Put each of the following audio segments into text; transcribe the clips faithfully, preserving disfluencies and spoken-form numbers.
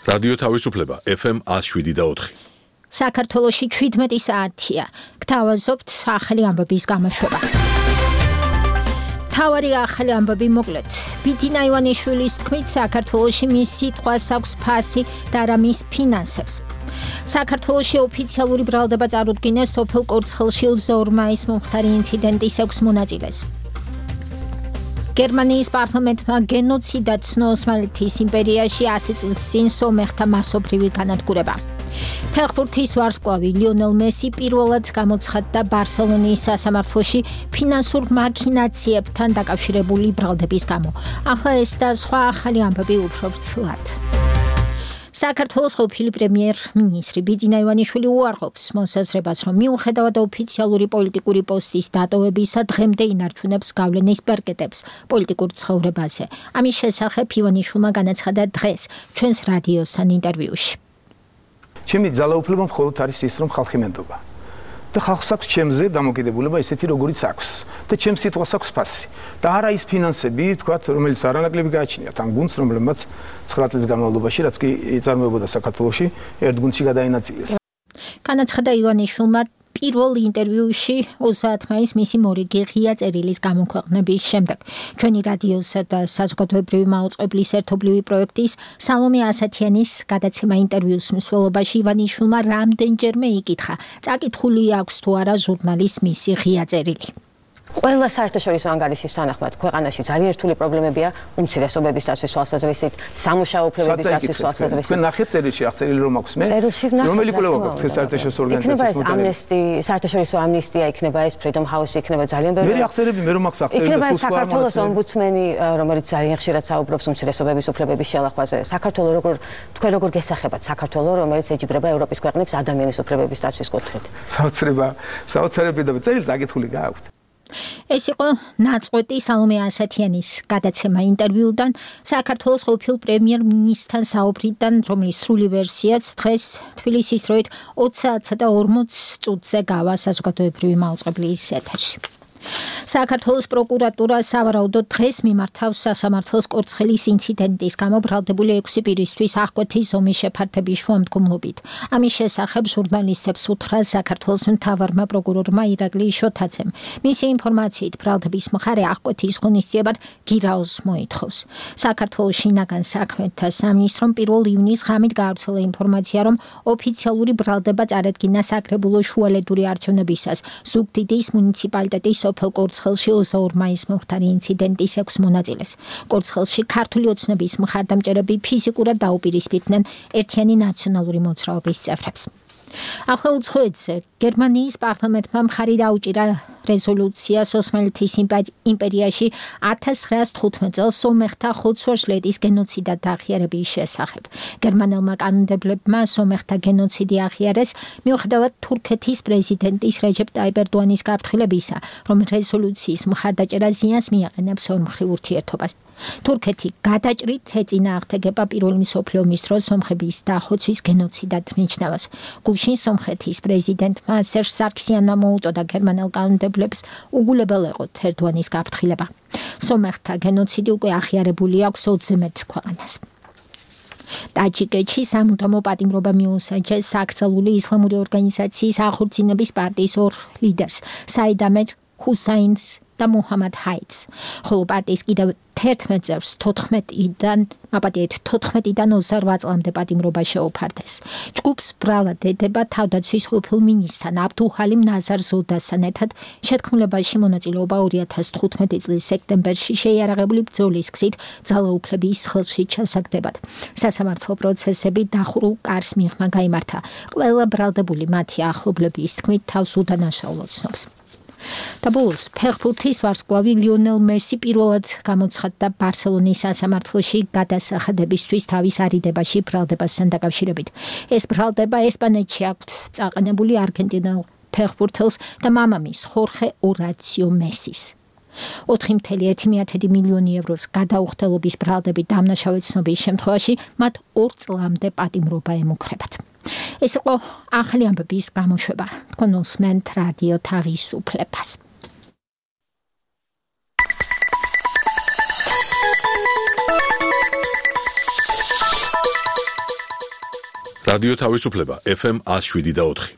რადიო თავისუფლება ეფ ემ one oh seven და four. საქართველოში შვიდმეტი საათია. გთავაზობთ ახალი ამბების გამოშვებას. თავარი ახალი ამბები მოკლედ. ბიძინა ივანიშვილის თქმით, საქართველოში მის სიტყვას აქვს ფასი და არა მის ფინანსებს. საქართველოში ოფიციალური ბრალდება წარუდგინეს სოფელ კორცხელში ოცდაორი მომხდარი ინციდენტის ექვს მონაწილეს. გერმანიის პარლამენტმა გენოციდად ცნო ოსმალეთის იმპერიაში ასი წლის წინ სომეხთა მასობრივი განადგურება. ფეხბურთის ვარსკვლავი ლიონელ მესი პირველად გამოცხადდა ბარსელონის სასამართლოში ფინანსურ მაქინაციებთან დაკავშირებული ბრალდების გამო. ახლა ეს და სხვა ახალი ამბები უფრო ვრცლად. საქართველოს ყოფილი პრემიერ-მინისტრი ბიძინა ივანიშვილი უარყოფს მოსაზრებას, რომ მიუხედავად ოფიციალური პოლიტიკური პოსტის დატოვებისა დღემდე ინარჩუნებს გავლენის პერკეტებს პოლიტიკურ ცხოვრებაზე. ამის შესახებ ივანიშვილმა განაცხადა დღეს ჩვენს რადიოსთან ინტერვიუში. ჩემი ძალაუფლება მხოლოდ არის ის, რომ ხალხი მენდობა. და ხალხს აქვს ჩემზე დამოკიდებულება ისეთი, როგორიც აქვს. და ჩემს სიტყვას აქვს ფასი. და არა ის ფინანსები, თქვათ, რომელიც არანაკლები გააჩნიათ ამ გუნდს, რომლებმაც ცხრა წლის განმავლობაში, რაც კი იწარმოებოდა საქართველოში, ერთ გუნდში გადაინაწილეს. განაცხადა ივანიშვილმა პირველ ინტერვიუში ოცდაათი მაისს მისი მორიგი ღია წერილის გამოქვეყნების შემდეგ. ჩვენი რადიოსა და საზოგადოებრივი მაუწყებლის ერთობლივი პროექტის სალომე ასათიანის გადაცემა ინტერვიუს მსვლელობაში ივანიშვილმა რამდენჯერმე იკითხა, წაკითხული აქვს თუ არა ჟურნალის მისი ღია წერილი. ყველა საერთაშორისო ანგარიშის თანახმად ქვეყანაში ძალიან რთული პრობლემებია უმცირესობების დაცვის თვალსაზრისით, სამუშაო უფლებების დაცვის თვალსაზრისით. თქვენ ნახეთ წერილში, აღწერილი რომ აქვს მე. რომელი კვლევა გაქვთ ეს საერთაშორისო ორგანიზაციის მოდელი? ამნესტი, საერთაშორისო ამნისტია იქნება, ეს Freedom House იქნება, ძალიან ბევრი. მე აღწერები, მე რომ აქვს აღწერები და იქნება საქართველოს ომბუდსმენი, რომელიც ძალიან ხშირად საუბრობს უმცირესობების უფლებების შელახვაზე. საქართველოს როგორ თქვენ როგორ გესახებათ საქართველოს, რომელიც ეჯიბრება ევროპის ქვეყნებს ადამიანის უფლებების დაცვის კუთხით? საოცრება, საოცრები და წერილს აკითხული გაქვთ. ეს იყო ნაწყვეტი სალომე ასათიანის გადაცემა ინტერვიუდან საქართველოს ყოფილ პრემიერ-მინისტრთან საუბრიდან, რომლის სრული ვერსიაც დღეს თბილისის დროით ოცი საათსა და ორმოც წუთზე გავა საზოგადოებრივი მაუწყებლის ეთერში. საქართველოს პროკურატურა სავარაუდოდ დღეს მიმართავს სასამართლოს კორცხელის ინციდენტის გამო ბრალდებული ექვსი პირისთვის აღკვეთის ზომის შეფართების შუამდგომლობით. ამის შესახებ ჟურნალისტებს უთხრა საქართველოს მთავარმა პროკურორმა ირაკლი შოთაძემ. მისი ინფორმაციით ბრალდების მხარე აღკვეთის ღონისძიებად გირაოს მოითხოვს. საქართველოს შინაგან საქმეთა სამინისტრომ პირველ ივნისს ღამით გაავრცელა ინფორმაცია, რომ ოფიციალური ბრალდება წარედგინა საკრებულო შუალედური არჩევნებისას ზუგდიდის მუნიციპალიტეტის სოფელ კორცხელში ოცდაორი მაისს მომხდარი ინციდენტის ექვს მონაწილეს. კორცხელში ქართული ოცნების მხარდამჭერები ფიზიკურად დაუპირისპირდნენ ერთიანი ნაციონალური მოძრაობის წევრებს. ახლა უცხოეთზე გერმანიის პარლამენტმა მხარი დაუჭირა რეზოლუციას ოსმალეთის იმპერიაში ათას ცხრაას თხუთმეტ წელს სომეხთა ხოცვაშლეთის გენოციდად აღიარების შესახებ. გერმანელმა კანონმდებლებმა სომეხთა გენოციდი აღიარეს, მიუხედავად თურქეთის პრეზიდენტის რეჯეპ ტაიპ ერდოანის გაფრთხილებისა, რომ რეზოლუციის მხარდაჭერა ზიანს მიაყენებს ორმხრივ ურთიერთობას. თურქეთი გადაჭრით ეწინააღმდეგება პირველი მსოფლიო ომის დროს სომხების დახოცვის გენოციდად ნიშნავს. გუშინ სომხეთის პრეზიდენტმა სერჟ სარქსიანმა მოუწოდა გერმანელ კანონმდებლებს უგულებელ ეყოთ ერდოანის გაფრთხილება. სომეხთა გენოციდი უკვე აღიარებული აქვს ოცზე მეტ ქვეყანას. ტაჯიკეთში სამუდამო პატიმრობა მიუსაჯეს საკრძალული ისლამური ორგანიზაციის ახორციელების პარტიის ორ ლიდერს, საიდ ამედ ჰუსაინს და მუჰამად ჰაიდს, ხოლო პარტიის კიდევ თერთმეტ წევრს თოთხმეტიდან, აპატიეთ თოთხმეტიდან ოცდაორ წლამდე პატიმრობა შეუფარდეს. ჯგუფს ბრალად ედება თავდაცვის ყოფილ მინისტრთან აბდუჰალიმ ნაზარ ზოდასთან ერთად შეთქმულებაში მონაწილეობა ორი ათას თხუთმეტი წლის სექტემბერში შეიარაღებული ბრძოლის გზით ძალაუფლების ხელში ჩასაგდებად. სასამართლო პროცესები დახურულ კარს მიღმა გაიმართა. ყველა ბრალდებული მათი ახლობლების თქმით თავს უდანაშაულოდ ცნობს. და ბოლოს ფეხბურთის ვარსკვლავი ლიონელ მესი პირველად გამოცხადდა ბარსელონის სასამართლოში გადასახადებისთვის თავის არიდებაში ბრალდებასთან დაკავშირებით. ეს ბრალდება ესპანეთში აქვთ წაყენებული არგენტინელ ფეხბურთელს და მამამის ხორხე ორაციო მესის. ოთხი წუთი ერთი მილიონი ევროს გადაუხდელობის ბრალდებით დამნაშავე ცნობის შემთხვევაში მათ ორ წლამდე პატიმრობა ემუქრებათ. ეს იყო ახალი ამბების გამოშვება. თქვენ უსმენთ რადიო თავისუფლებას. რადიო თავისუფლება ეფ ემ one oh seven და four.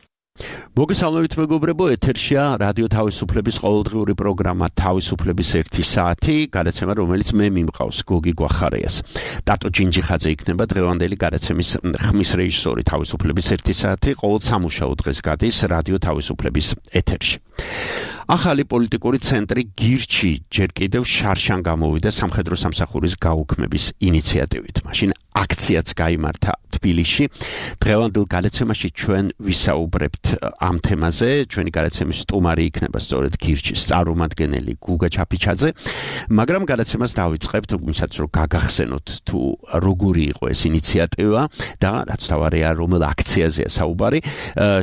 მოგესალმებით მეგობრებო, ეთერშია რადიო თავისუფლების ყოველდღიური პროგრამა თავისუფლების ერთი საათი, გადაცემა რომელიც მე მიმყავს გოგი გვახარიას. ტატო ჯინჯიხაძე იქნება დღევანდელი გადაცემის ხმის რეჟისორი. თავისუფლების ერთი საათი ყოველ სამუშაო დღეს გადის რადიო თავისუფლების ეთერში. ახალი პოლიტიკური ცენტრი გირჩი ჯერ კიდევ შარშან გამოვიდა სამხედრო სამსახურის გაუქმების ინიციატივით. მაშინ აქციაც გაიმართა თბილისში. დღევანდელ გადაცემაში ჩვენ ვისაუბრებთ ამ თემაზე. ჩვენი გადაცემის სტუმარი იქნება სწორედ გირჩის წარმომადგენელი გუგა ჩაფიჩაძე. მაგრამ გადაცემას დავიწყებთ, ვისაც რომ გაგახსენოთ თუ როგორი იყო ეს ინიციატივა და რაც თავარია რომელ აქციაზეა საუბარი.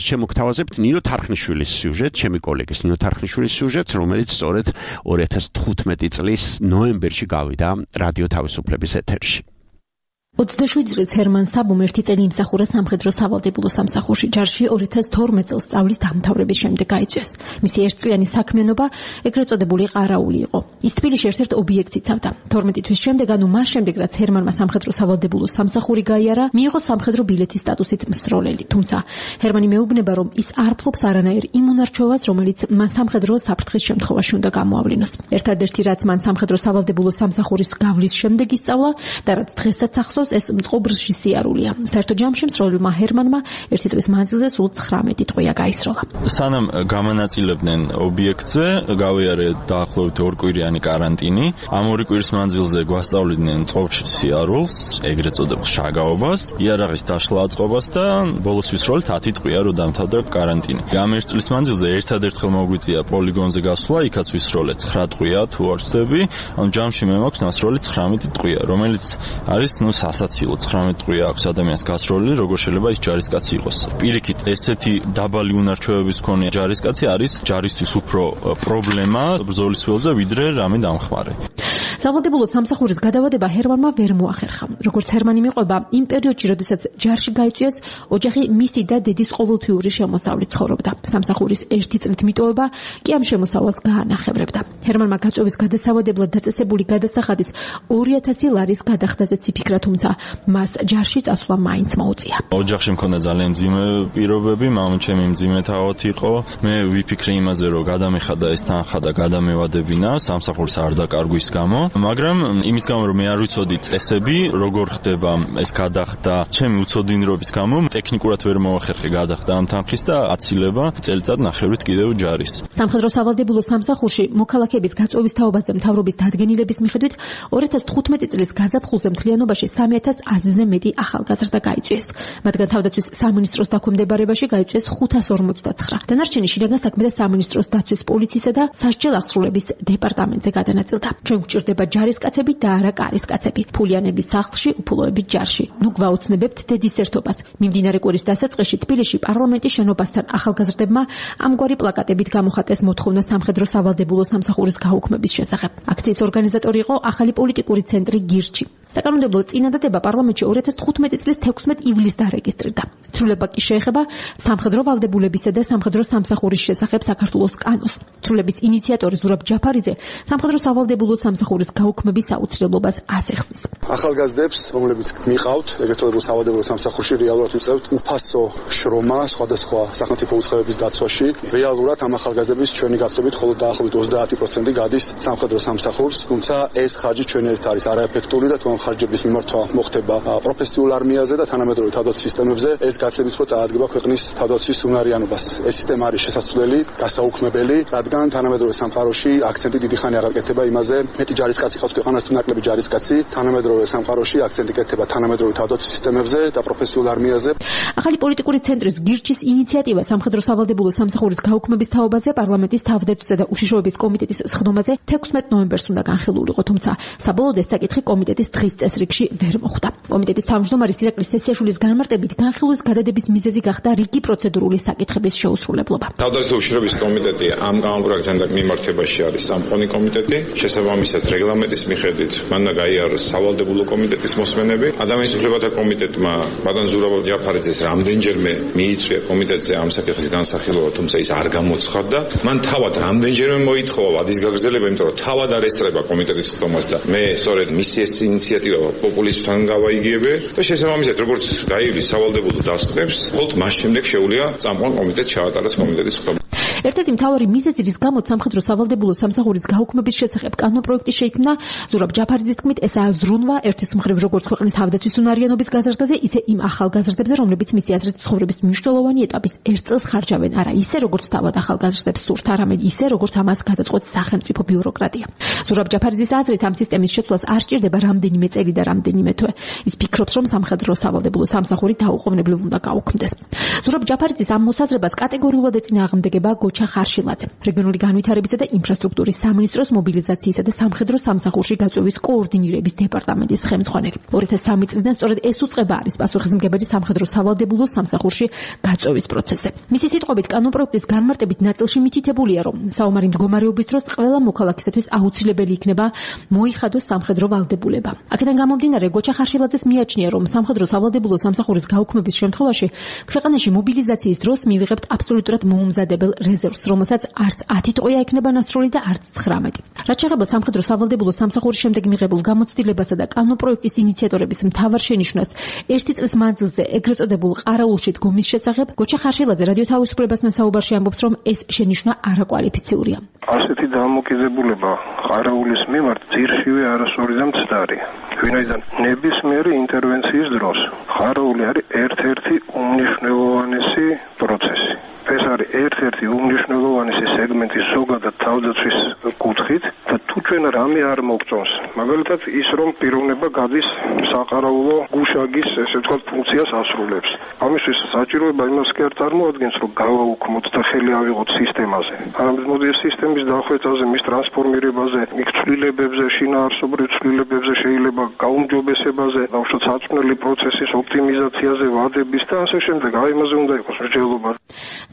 შემოგთავაზებთ ნინო თარხნიშვილის სიუჟეტ, ჩემი კოლეგის ნინო თარხნიშვილის სიუჟეტს, რომელიც სწორედ ორი ათას თხუთმეტი წლის ნოემბერში გავიდა რადიო თავისუფლების ეთერში. ოცდაშვიდი წლის ჰერმან საბომ ერთი წელი იმსახურა სამხედრო სავალდებულო სამსახურში. ჯარში ორი ათას თორმეტ წელს სწავლის დამთავრების შემდეგ გაიწვიეს. მისი ერთწლიანი საქმიანობა ეგრეთ წოდებული ყარაული იყო. ის თბილისში ერთ-ერთ ობიექტს იცავდა. თორმეტი თვის შემდეგ, ანუ მას შემდეგ, რაც ჰერმანმა სამხედრო სავალდებულო სამსახური გაიარა, მიიღო სამხედრო ბილეთის სტატუსით მსროლელი. თუმცა ჰერმანი მეუბნება, რომ ის არ ფლობს არანაირ იმ უნარჩვევას, რომელიც მან სამხედრო საფრთხის შემთხვევაში უნდა გამოავლინოს. ერთადერთი, რაც მან სამხედრო სავალდებულო სამსახურის გავლის შემდეგ ისწავლა და რაც დღესაც ახსოვს, ეს მწყობრში სიარულია. საერთო ჯამში მსროლელმა ჰერმანმა ერთი წლის მანძილზე სულ ცხრამეტი ტყვია გაისროლა. სანამ გამანაწილებდნენ ობიექტზე, გავიარე დაახლოებით ორ კვირიანი კარანტინი. ამ ორი კვირის მანძილზე გვასწავლიდნენ მწყობრში სიარულს, ეგრეთ წოდებულ შაგაობას, იარაღის დაშლა აწყობას და ბოლოს ვისროლეთ ათი ტყვია რო დამთავრდა კარანტინი. ამ ერთ წლის მანძილზე ერთადერთხელ მოგვიწია პოლიგონზე გასვლა, იქაც ვისროლეთ ცხრა ტყვია თუ არ ვცდები, ანუ ჯამში მე მაქვს ნასროლი ცხრამეტი ტყვია, რომელიც არის ნუ სასაცილო. ცხრამეტი ტყვია აქვს ადამიანს გასროლილი, როგორ შეიძლება ის ჯარისკაცი იყოს. პირიქით, ესეთი დაბალი უნარჩვევების მქონე ჯარისკაცი არის ჯარისთვის უფრო პრობლემა ბრძოლის ველზე, ვიდრე რამე დამხმარე. სავალდებულო სამსახურის გადავადება ჰერმანმა ვერ მოახერხა. როგორც ჰერმანი მიყვება, იმ პერიოდში, როდესაც ჯარში გაიწვიეს, ოჯახი მისი და დედის ყოველთვიური შემოსავლით ცხოვრობდა. სამსახურის ერთი წლით მიტოვება კი ამ შემოსავალს გაანახევრებდა. ჰერმანმა გაწვევის გადასავადებლად დაწესებული გადასახადის ორი ათასი ლარის გადახდაზეც იფიქრა, თუმცა მას ჯარში წასვლა მაინც მოუწია. ოჯახში მქონდა ძალიან მძიმე პირობები, მამაჩემი მძიმე თავად იყო. მე ვიფიქრე იმაზე, რომ გადამეხადა ეს თანხა და გადამევადებინა სამსახურის არ დაკარგვის გამო, მაგრამ იმის გამო, რომ მე არ ვიცოდი წესები, როგორ ხდება ეს გადახდა, ჩემი უცოდინრობის გამო ტექნიკურად ვერ მოახერხე გადახდა ამ თანხის და აცილება წელიწად ნახევრით კიდევ ჯარის. სამხედრო სავალდებულო სამსახურში მოქალაქეების გაწვევის თაობაზე მთავრობის დადგენილების მიხედვით ორი ათას თხუთმეტი წლის გაზაფხულზე მთლიანობაში სამი ათას ათზე მეტი ახალგაზრდა გაიწვიეს. მათგან თავდაცვის სამინისტროს დაქვემდებარებაში გაიწვიეს ხუთას ორმოცდაცხრა. დანარჩენი შინაგან საქმეთა სამინისტროს დაცვის პოლიციისა და სასჯელ აღსრულების დეპარტამენტზე გადანაწილდა. ჩვენ გვჭირდება ჯარისკაცები და არა კარისკაცები. ფულიანების სახლში, უფულოების ჯარში. ნუ გვაუცნებებთ დედის ერთობას. მიმდინარე კვირის დასაწყისში თბილისში პარლამენტის შენობასთან ახალგაზრდებმა ამგვარი პლაკატებით გამოხატეს მოთხოვნა სამხედრო სავალდებულო სამსახურის გაუქმების შესახებ. აქციის ორგანიზატორი იყო ახალი პოლიტიკური ცენტრი გირჩი. საკანონმდებლო წინადადება პარლამენტში ორი ათას თხუთმეტი წლის თექვსმეტ ივლისს დარეგისტრირდა. ცვლილება კი შეეხება სამხედრო ვალდებულებისა და სამხედრო სამსახურის შესახებ საქართველოს კანონს. ცვლილების ინიციატორი ზურაბ ჯაფარიძე სამხედრო სავალდებულო სამსახურის გაუქმების აუცილებლობას ასახსნის. ახალგაზრდებს, რომლებიც მიყავთ ეგრეთ წოდებულ სავალდებულო სამსახურში, რეალურად ვიწევთ უფასო შრომა სხვადასხვა სახელმწიფო უწყებების დაცვაში. რეალურად ამ ახალგაზრდების ჩვენი გათხრებით მხოლოდ დაახლოებით ოცდაათი პროცენტი გადის სამხედრო სამსახურს, თუმცა ეს ხარჯი ჩვენი ეს არის არაეფექტური და თუ ამ ხარჯების მიმართვა მოხდება პროფესიულ არმიაზე და თანამედროვე თავდაცვის სისტემებზე, ეს გაცილებით უფრო წაადგება ქვეყნის თავდაცვის უნარიანობას. ეს სისტემა არის შესაძლებელი, გასაუქმებელი, რადგან თანამედროვე სამყაროში აქცენტი დიდი ხანი არ აკეთება იმაზე, მეტი ჯარისკაცი ყავს ქვეყანას თუ ნაკლები ჯარისკაცი, თანამედროვე სამყაროში აქცენტი კეთდება თანამედროვე თავდაცვის სისტემებზე და პროფესიულ არმიაზე. ახალი პოლიტიკური ცენტრის გირჩის ინიციატივა სამხედრო სავალდებულო სამსახურის გაუქმების თაობაზე პარლამენტის თავდაცვისა და უშიშროების კომიტეტის სხდომაზე თექვსმეტ ნოემბერს უნდა განხილულიყო, თუმცა საბოლოოდ ეს საკითხი კომიტეტის დღის წესრიგში ვერ მოხვდა. კომიტეტის თავმჯდომარის ირაკლი სესიაშვილის განმარტებით განხილვის გადადების მიზეზი გახდა რიგი პროცედურული საკითხების შეუსრულებლობა. თავდაცვის უშიშროების კომიტეტი ამ გამოპროექტთან მიმართებაში არის სამყონი კომიტეტი, შესაბამისად რეგლამენტ რეგლამენტის მიხედვით მან და გაიაროს სავალდებულო კომიტეტის მოსმენები. ადამიანის უფლებათა კომიტეტმა ბატონ ზურაბ ჯაფარიძეს რამდენჯერმე მიიწვია კომიტეტზე ამ საკითხის განსახილვება, თუმცა ის არ გამოცხადდა. მან თავად რამდენჯერმე მოითხოვა ვადის გაგრძელება, იმიტომ რომ თავად არ ესწრება კომიტეტის ხდომას და მე სწორედ მისი ეს ინიციატივა პოპულიზმთან გავაიგებე და შესაბამისად როგორც გაივლის სავალდებულო დასკვნებს, მხოლოდ მას შემდეგ შეუძლია წამყვან კომიტეტს ჩაატაროს კომიტეტის ხდომა. ერთ-ერთი მთავარი მიზეზი, რის გამოც სამხედრო სავალდებულო სამსახურის გაუქმების შესახებ კანონპროექტი შეიქმნა, ზურაბ ჯაფარიძის თქმით, ესაა ზრუნვა ერთის მხრივ როგორც ქვეყნის თავდაცვის უნარიანობის გაზრდაზე, ისე იმ ახალგაზრდებზე, რომლებიც მისი აზრით ცხოვრების მნიშვნელოვანი ეტაპის ერთ წელს ხარჯავენ, არა ისე როგორც თავად ახალგაზრდებს სურთ, არამედ ისე როგორც ამას გადაწყვეტს სახელმწიფო ბიუროკრატია. ზურაბ ჯაფარიძის აზრით ამ სისტემის შეცვლას არ სჭირდება რამდენიმე წელი და რამდენიმე თვე. ის ფიქრობს, რომ სამხედრო სავალდებულო სამსახური დაუყოვნებლივ უნდა გაუქმდეს. ზურაბ ჯაფარიძის ამ მოსაზრებას კატეგორიულად ეწინააღმდეგება გოჩა ხარშილაძე, რეგიონული განვითარებისა და ინფრასტრუქტურის სამინისტროს მობილიზაციისა და სამხედრო სამსახურში გაწვევის კოორდინირების დეპარტამენტის ხელმძღვანელი. ორი ათას სამი წლიდან სწორედ ეს უწყება არის პასუხისმგებელი სამხედრო სავალდებულო სამსახურში გაწვევის პროცესზე. მისი სიტყვებით, კანონპროექტის განმარტებით ნაწილში მითითებულია, რომ საომარი მდგომარეობის დროს ყველა მოქალაქისათვის აუცილებელი იქნება მოიხადოს სამხედრო ვალდებულება. აქედან გამომდინარე, გოჩა ხარშილაძეს მიაჩნია, რომ სამხედრო სავალდებულო სამსახურის გაუქმების შემთხვევაში ქვეყანაში მობილიზაციის დროს მივიღებთ აბსოლუტურად მოუმზადებელ რეზერვს, რომელსაც არც ათი ტყვია ექნება ნასროლი და არც ცხრამეტი. რაც შეეხება სამხედრო სავალდებულო სამსახურის შემდეგ მიღებულ გამოცდილებასა და კანონპროექტის ინიციატორების მთავარ შენიშვნას ერთი წლის მანძილზე ეგრეთ წოდებულ ყარაულში დგომის შესახებ, გოჩა ხარშილაძე რადიო თავისუფლებასთან საუბარში ამბობს, რომ ეს შენიშვნა არაკვალიფიციურია. ასეთი დამოკიდებულება ყარაულის მიმართ ძირშივე არასორი და მცდარი. ვინაიდან ნებისმიერი ინტერვენციის დროს ყარაული არის ერთ-ერთი უმნიშვნელოვანესი პროცესი. ეს არის ერთ-ერთი უმნიშვნელოვანესი სეგმენტი ზოგადად თავდაცვის კუთხით და თუ ჩვენ რამე არ მოგწონს, მაგალითად ის რომ პიროვნება გადის საყარაულო გუშაგის ესე ვთქვათ ფუნქციას ასრულებს. ამისთვის საჭიროება იმას კი არ წარმოადგენს, რომ გავაუქმოთ და ხელი ავიღოთ სისტემაზე. არამედ მოდი ეს სისტემის დახვეწაზე, მის ტრანსფორმირებაზე, იქ ცვლილებებზე, შინაარსობრივ ცვლილებებზე, შეიძლება გაუმჯობესებაზე, ბავშვთა საწვრთნელი პროცესის ოპტიმიზაციაზე, ვადების და ასე შემდეგ. აი ამაზე უნდა იყოს მსჯელობა.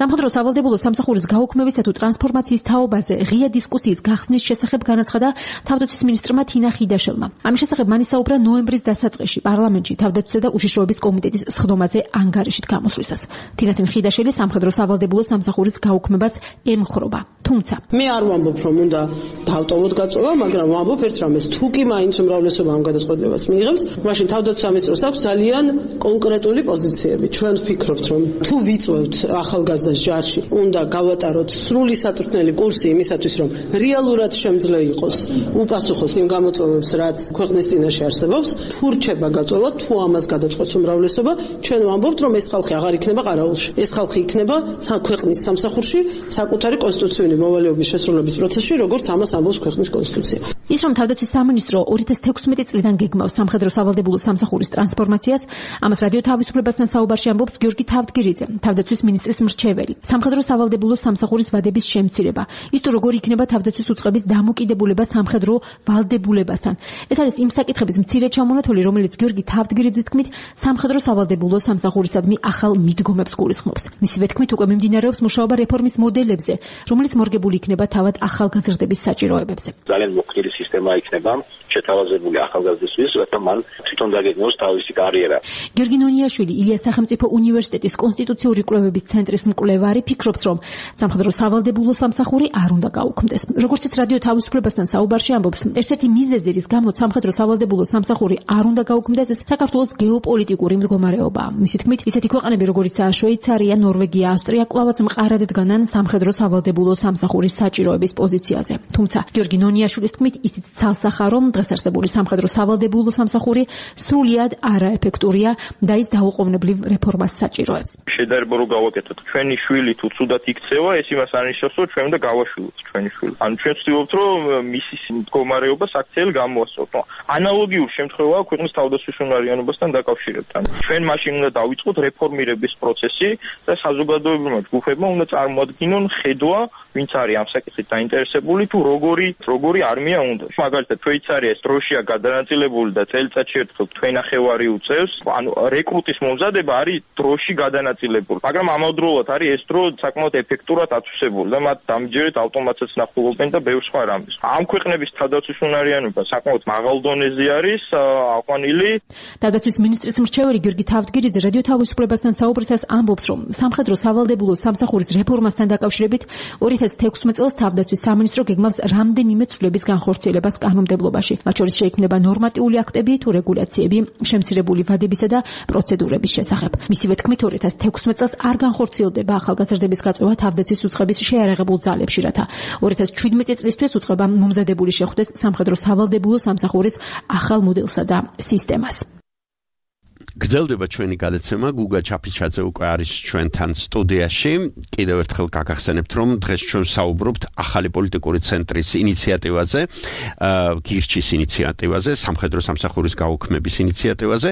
სამხედრო სავალდებულო სამსახურის გაუქმებისა თუ ტრანსფორმაციის თაობაზე ღია დისკუსიის გახსნის შესახებ განაცხადა თავდაცვის მინისტრმა თინა ხიდაშელმა. ამის შესახებ მან ისაუბრა ნოემბრის დასაწყისში პარლამენტში თავდაცვისა და უშიშროების კომიტეტის სხდომაზე ანგარიშით გამოსვლისას. თინა ხიდაშელი სამხედრო სავალდებულო სამსახურის გაუქმებას ემხრობა. თუმცა მე არ ვამბობ, რომ უნდა დავტოვოთ გაწვევა, მაგრამ ვამბობ ერთ რამეს, თუ კი მაინც უმრავლესობა ამ გადაწყვეტილებას მიიღებს, მაშინ თავდაცვის სამინისტროს აქვს ძალიან კონკრეტული პოზიციები. ჩვენ ვფიქრობთ, რომ თუ ვიწვევთ ახალგაზრდა ჯარში უნდა გავატაროთ სრული საწვრთნელი კურსი იმისათვის, რომ რეალურად შემძლე იყოს უპასუხოს იმ გამოწვევებს, რაც ქვეყნის წინაშე არსებობს. თუ რჩება გაწვევა, თუ ამას გადაწყვეტს უმრავლესობა, ჩვენ ვამბობთ, რომ ეს ხალხი აღარ იქნება ყარაულში. ეს ხალხი იქნება ქვეყნის სამსახურში, საკუთარი კონსტიტუციური მოვალეობის შესრულების პროცესში, როგორც ამას ამბობს ქვეყნის კონსტიტუცია. ის რომ თავდაცვის სამინისტრო ორი ათას თექვსმეტი წლიდან გეგმავს სამხედრო სავალდებულო სამსახურის ტრანსფორმაციას, ამას რადიო თავისუფლებასთან საუბარში ამბობს გიორგი თავდგირიძე, თავდაცვის მინისტრის მრჩეველი. სამხედრო სავალდებულო სამსახურის ვადების შემცირება, ის თუ როგორი იქნება თავდაცვის უწყების დამოკიდებულება სამხედრო ვალდებულებასთან. ეს არის იმ საკითხების მცირე ჩამონათვალი, რომელიც გიორგი თავდგირიძის თქმით სამხედრო სავალდებულო სამსახურისადმი ახალ მიდგომებს გულისხმობს. მისივე თქმით უკვე მიმდინარეობს მუშაობა რეფორმის მოდელებზე, რომელიც მორგებული იქნება თავად ახალგაზრდების საჭიროებებზე. ძალიან მოქნილი სისტემა იქნება შეთავაზებული ახალგაზრდისთვის, რათა მან თვითონ დაგეგმოს თავისი კარიერა. გიორგი ნონიაშვილი, ილიას სახელმწიფო უნივერსიტეტის კონსტიტუციური კვლევების ცენტრის მკვლევარი, ფიქრობს, რომ სამხედრო სავალდებულო სამსახური არ უნდა გაუქმდეს. როგორც ის რადიო თავისუფლებასთან საუბარში ამბობს, ერთ-ერთი მიზეზი, რის გამოც სამხედრო სავალდებულო სამსახური არ უნდა გაუქმდეს, საქართველოს გეოპოლიტიკური მდგომარეობაა. მისი თქმით, ისეთი ქვეყნები, როგორიცაა შვეიცარია, ნორვეგია, ავსტრია, კვლავაც მყარად დგანან სამხედრო სავალდებულო სამსახურის საჭიროების პოზიციაზე. თუმცა, გიორგი ნონიაშვილის თქმით, ისიც ცალსახა, რომ დღეს არსებული სამხედრო სავალდებულო სამსახური სრულიად არაეფექტურია და ის დაუყოვნებლივ რეფორმას საჭიროებს. შედარება რო გავაკეთოთ, ჩვენი შვილი თუ ცუდად იქცევა, ეს იმას არნიშნავს, რომ ჩვენ უნდა გავაშვილოთ ჩვენი შვილი. ანუ ჩვენ ვცდილობთ, რომ მისი მდგომარეობა საქციელ გამოასწოროთ. ანალოგიურ შემთხვევაა ქვეყნის თავდაცვის უნარიანობასთან დაკავშირებთან. ჩვენ მაშინ უნდა დავიწყოთ რეფორმირების პროცესი და საზოგადოებრივმა ჯგუფებმა უნდა წარმოადგინონ ხედვა, ვინც არის ამ საკითხით დაინტერესებული, თუ როგორი როგორი არმია უნდა. მაგალითად, შვეიცარიას დროშია გადანაწილებული და წელიწადში ერთხელ თვენახევარი უწევს. ანუ რეკრუტის მომზადება არის დროში გადანაწილებული. მაგრამ ამავდროულად არის ეს დრო საკმაოდ ეფექტურად აწესებული და მათ დამჯერეთ ავტომატსაც ნახულობენ და ბევრ სხვა რამეს. ამ ქვეყნ ქვეყნების თავდაცვის უნარიანობა საკმაოდ მაღალ დონეზე არის აყვანილი. თავდაცვის მინისტრის მრჩეველი გიორგი თავდგირიძე რადიო თავისუფლებასთან საუბრისას ამბობს, რომ სამხედრო სავალდებულო სამსახურის რეფორმასთან დაკავშირებით ორი ათას თექვსმეტ წელს თავდაცვის სამინისტრო გეგმავს რამდენიმე ცვლილების განხორციელებას კანონმდებლობაში. მათ შორის შეიქმნება ნორმატიული აქტები თუ რეგულაციები შემცირებული ვადებისა და პროცედურების შესახებ. მისივე თქმით, ორი ათას თექვსმეტ წელს არ განხორციელდება ახალგაზრდების გაწევა თავდაცვის უწყების შეიარაღებულ ძალებში, რათა ორი ათას შვიდმეტ წლისთვის უწყება მომზადებული შეხვდეს სამხედრო სავალდებულო სამსახურის ახალ მოდელსა და სისტემას. გრძელდება ჩვენი გადაცემა. გუგა ჩაფიჩაძე უკვე არის ჩვენთან სტუდიაში. კიდევ ერთხელ გაგახსენებთ, რომ დღეს ჩვენ საუბრობთ ახალი პოლიტიკური ცენტრის ინიციატივაზე, გირჩის ინიციატივაზე, სამხედრო სამსახურის გაუქმების ინიციატივაზე.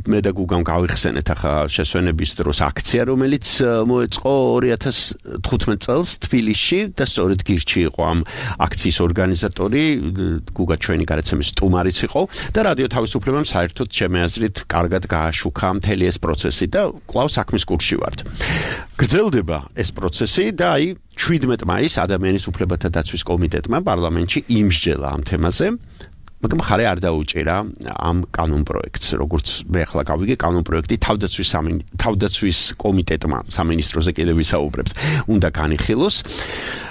მე და გუგამ გავიხსენეთ ახლა შესვენების დროს აქცია, რომელიც მოეწყო ორი ათას თხუთმეტ წელს თბილისში და სწორედ გირჩი იყო ამ აქციის ორგანიზატორი. გუგა ჩვენი გადაცემის სტუმარიც იყო და რადიო თავისუფლებამ საერთოდ ჩემი აზრით კარგად გააშუქა მთელი ეს პროცესი და კვლავ საქმის კურსში ვართ. გრძელდება ეს პროცესი და აი შვიდმეტ მაისს ადამიანის უფლებათა დაცვის კომიტეტმა პარლამენტში იმსჯელა ამ თემაზე. მაგრამ ხარე არ დაუჭირა ამ კანონპროექტს, როგორც მე ახლა გავიგე, კანონპროექტი თავდაცვის თავდაცვის კომიტეტმა სამინისტროზე კიდევ ვისაუბრებთ, უნდა განიხილოს.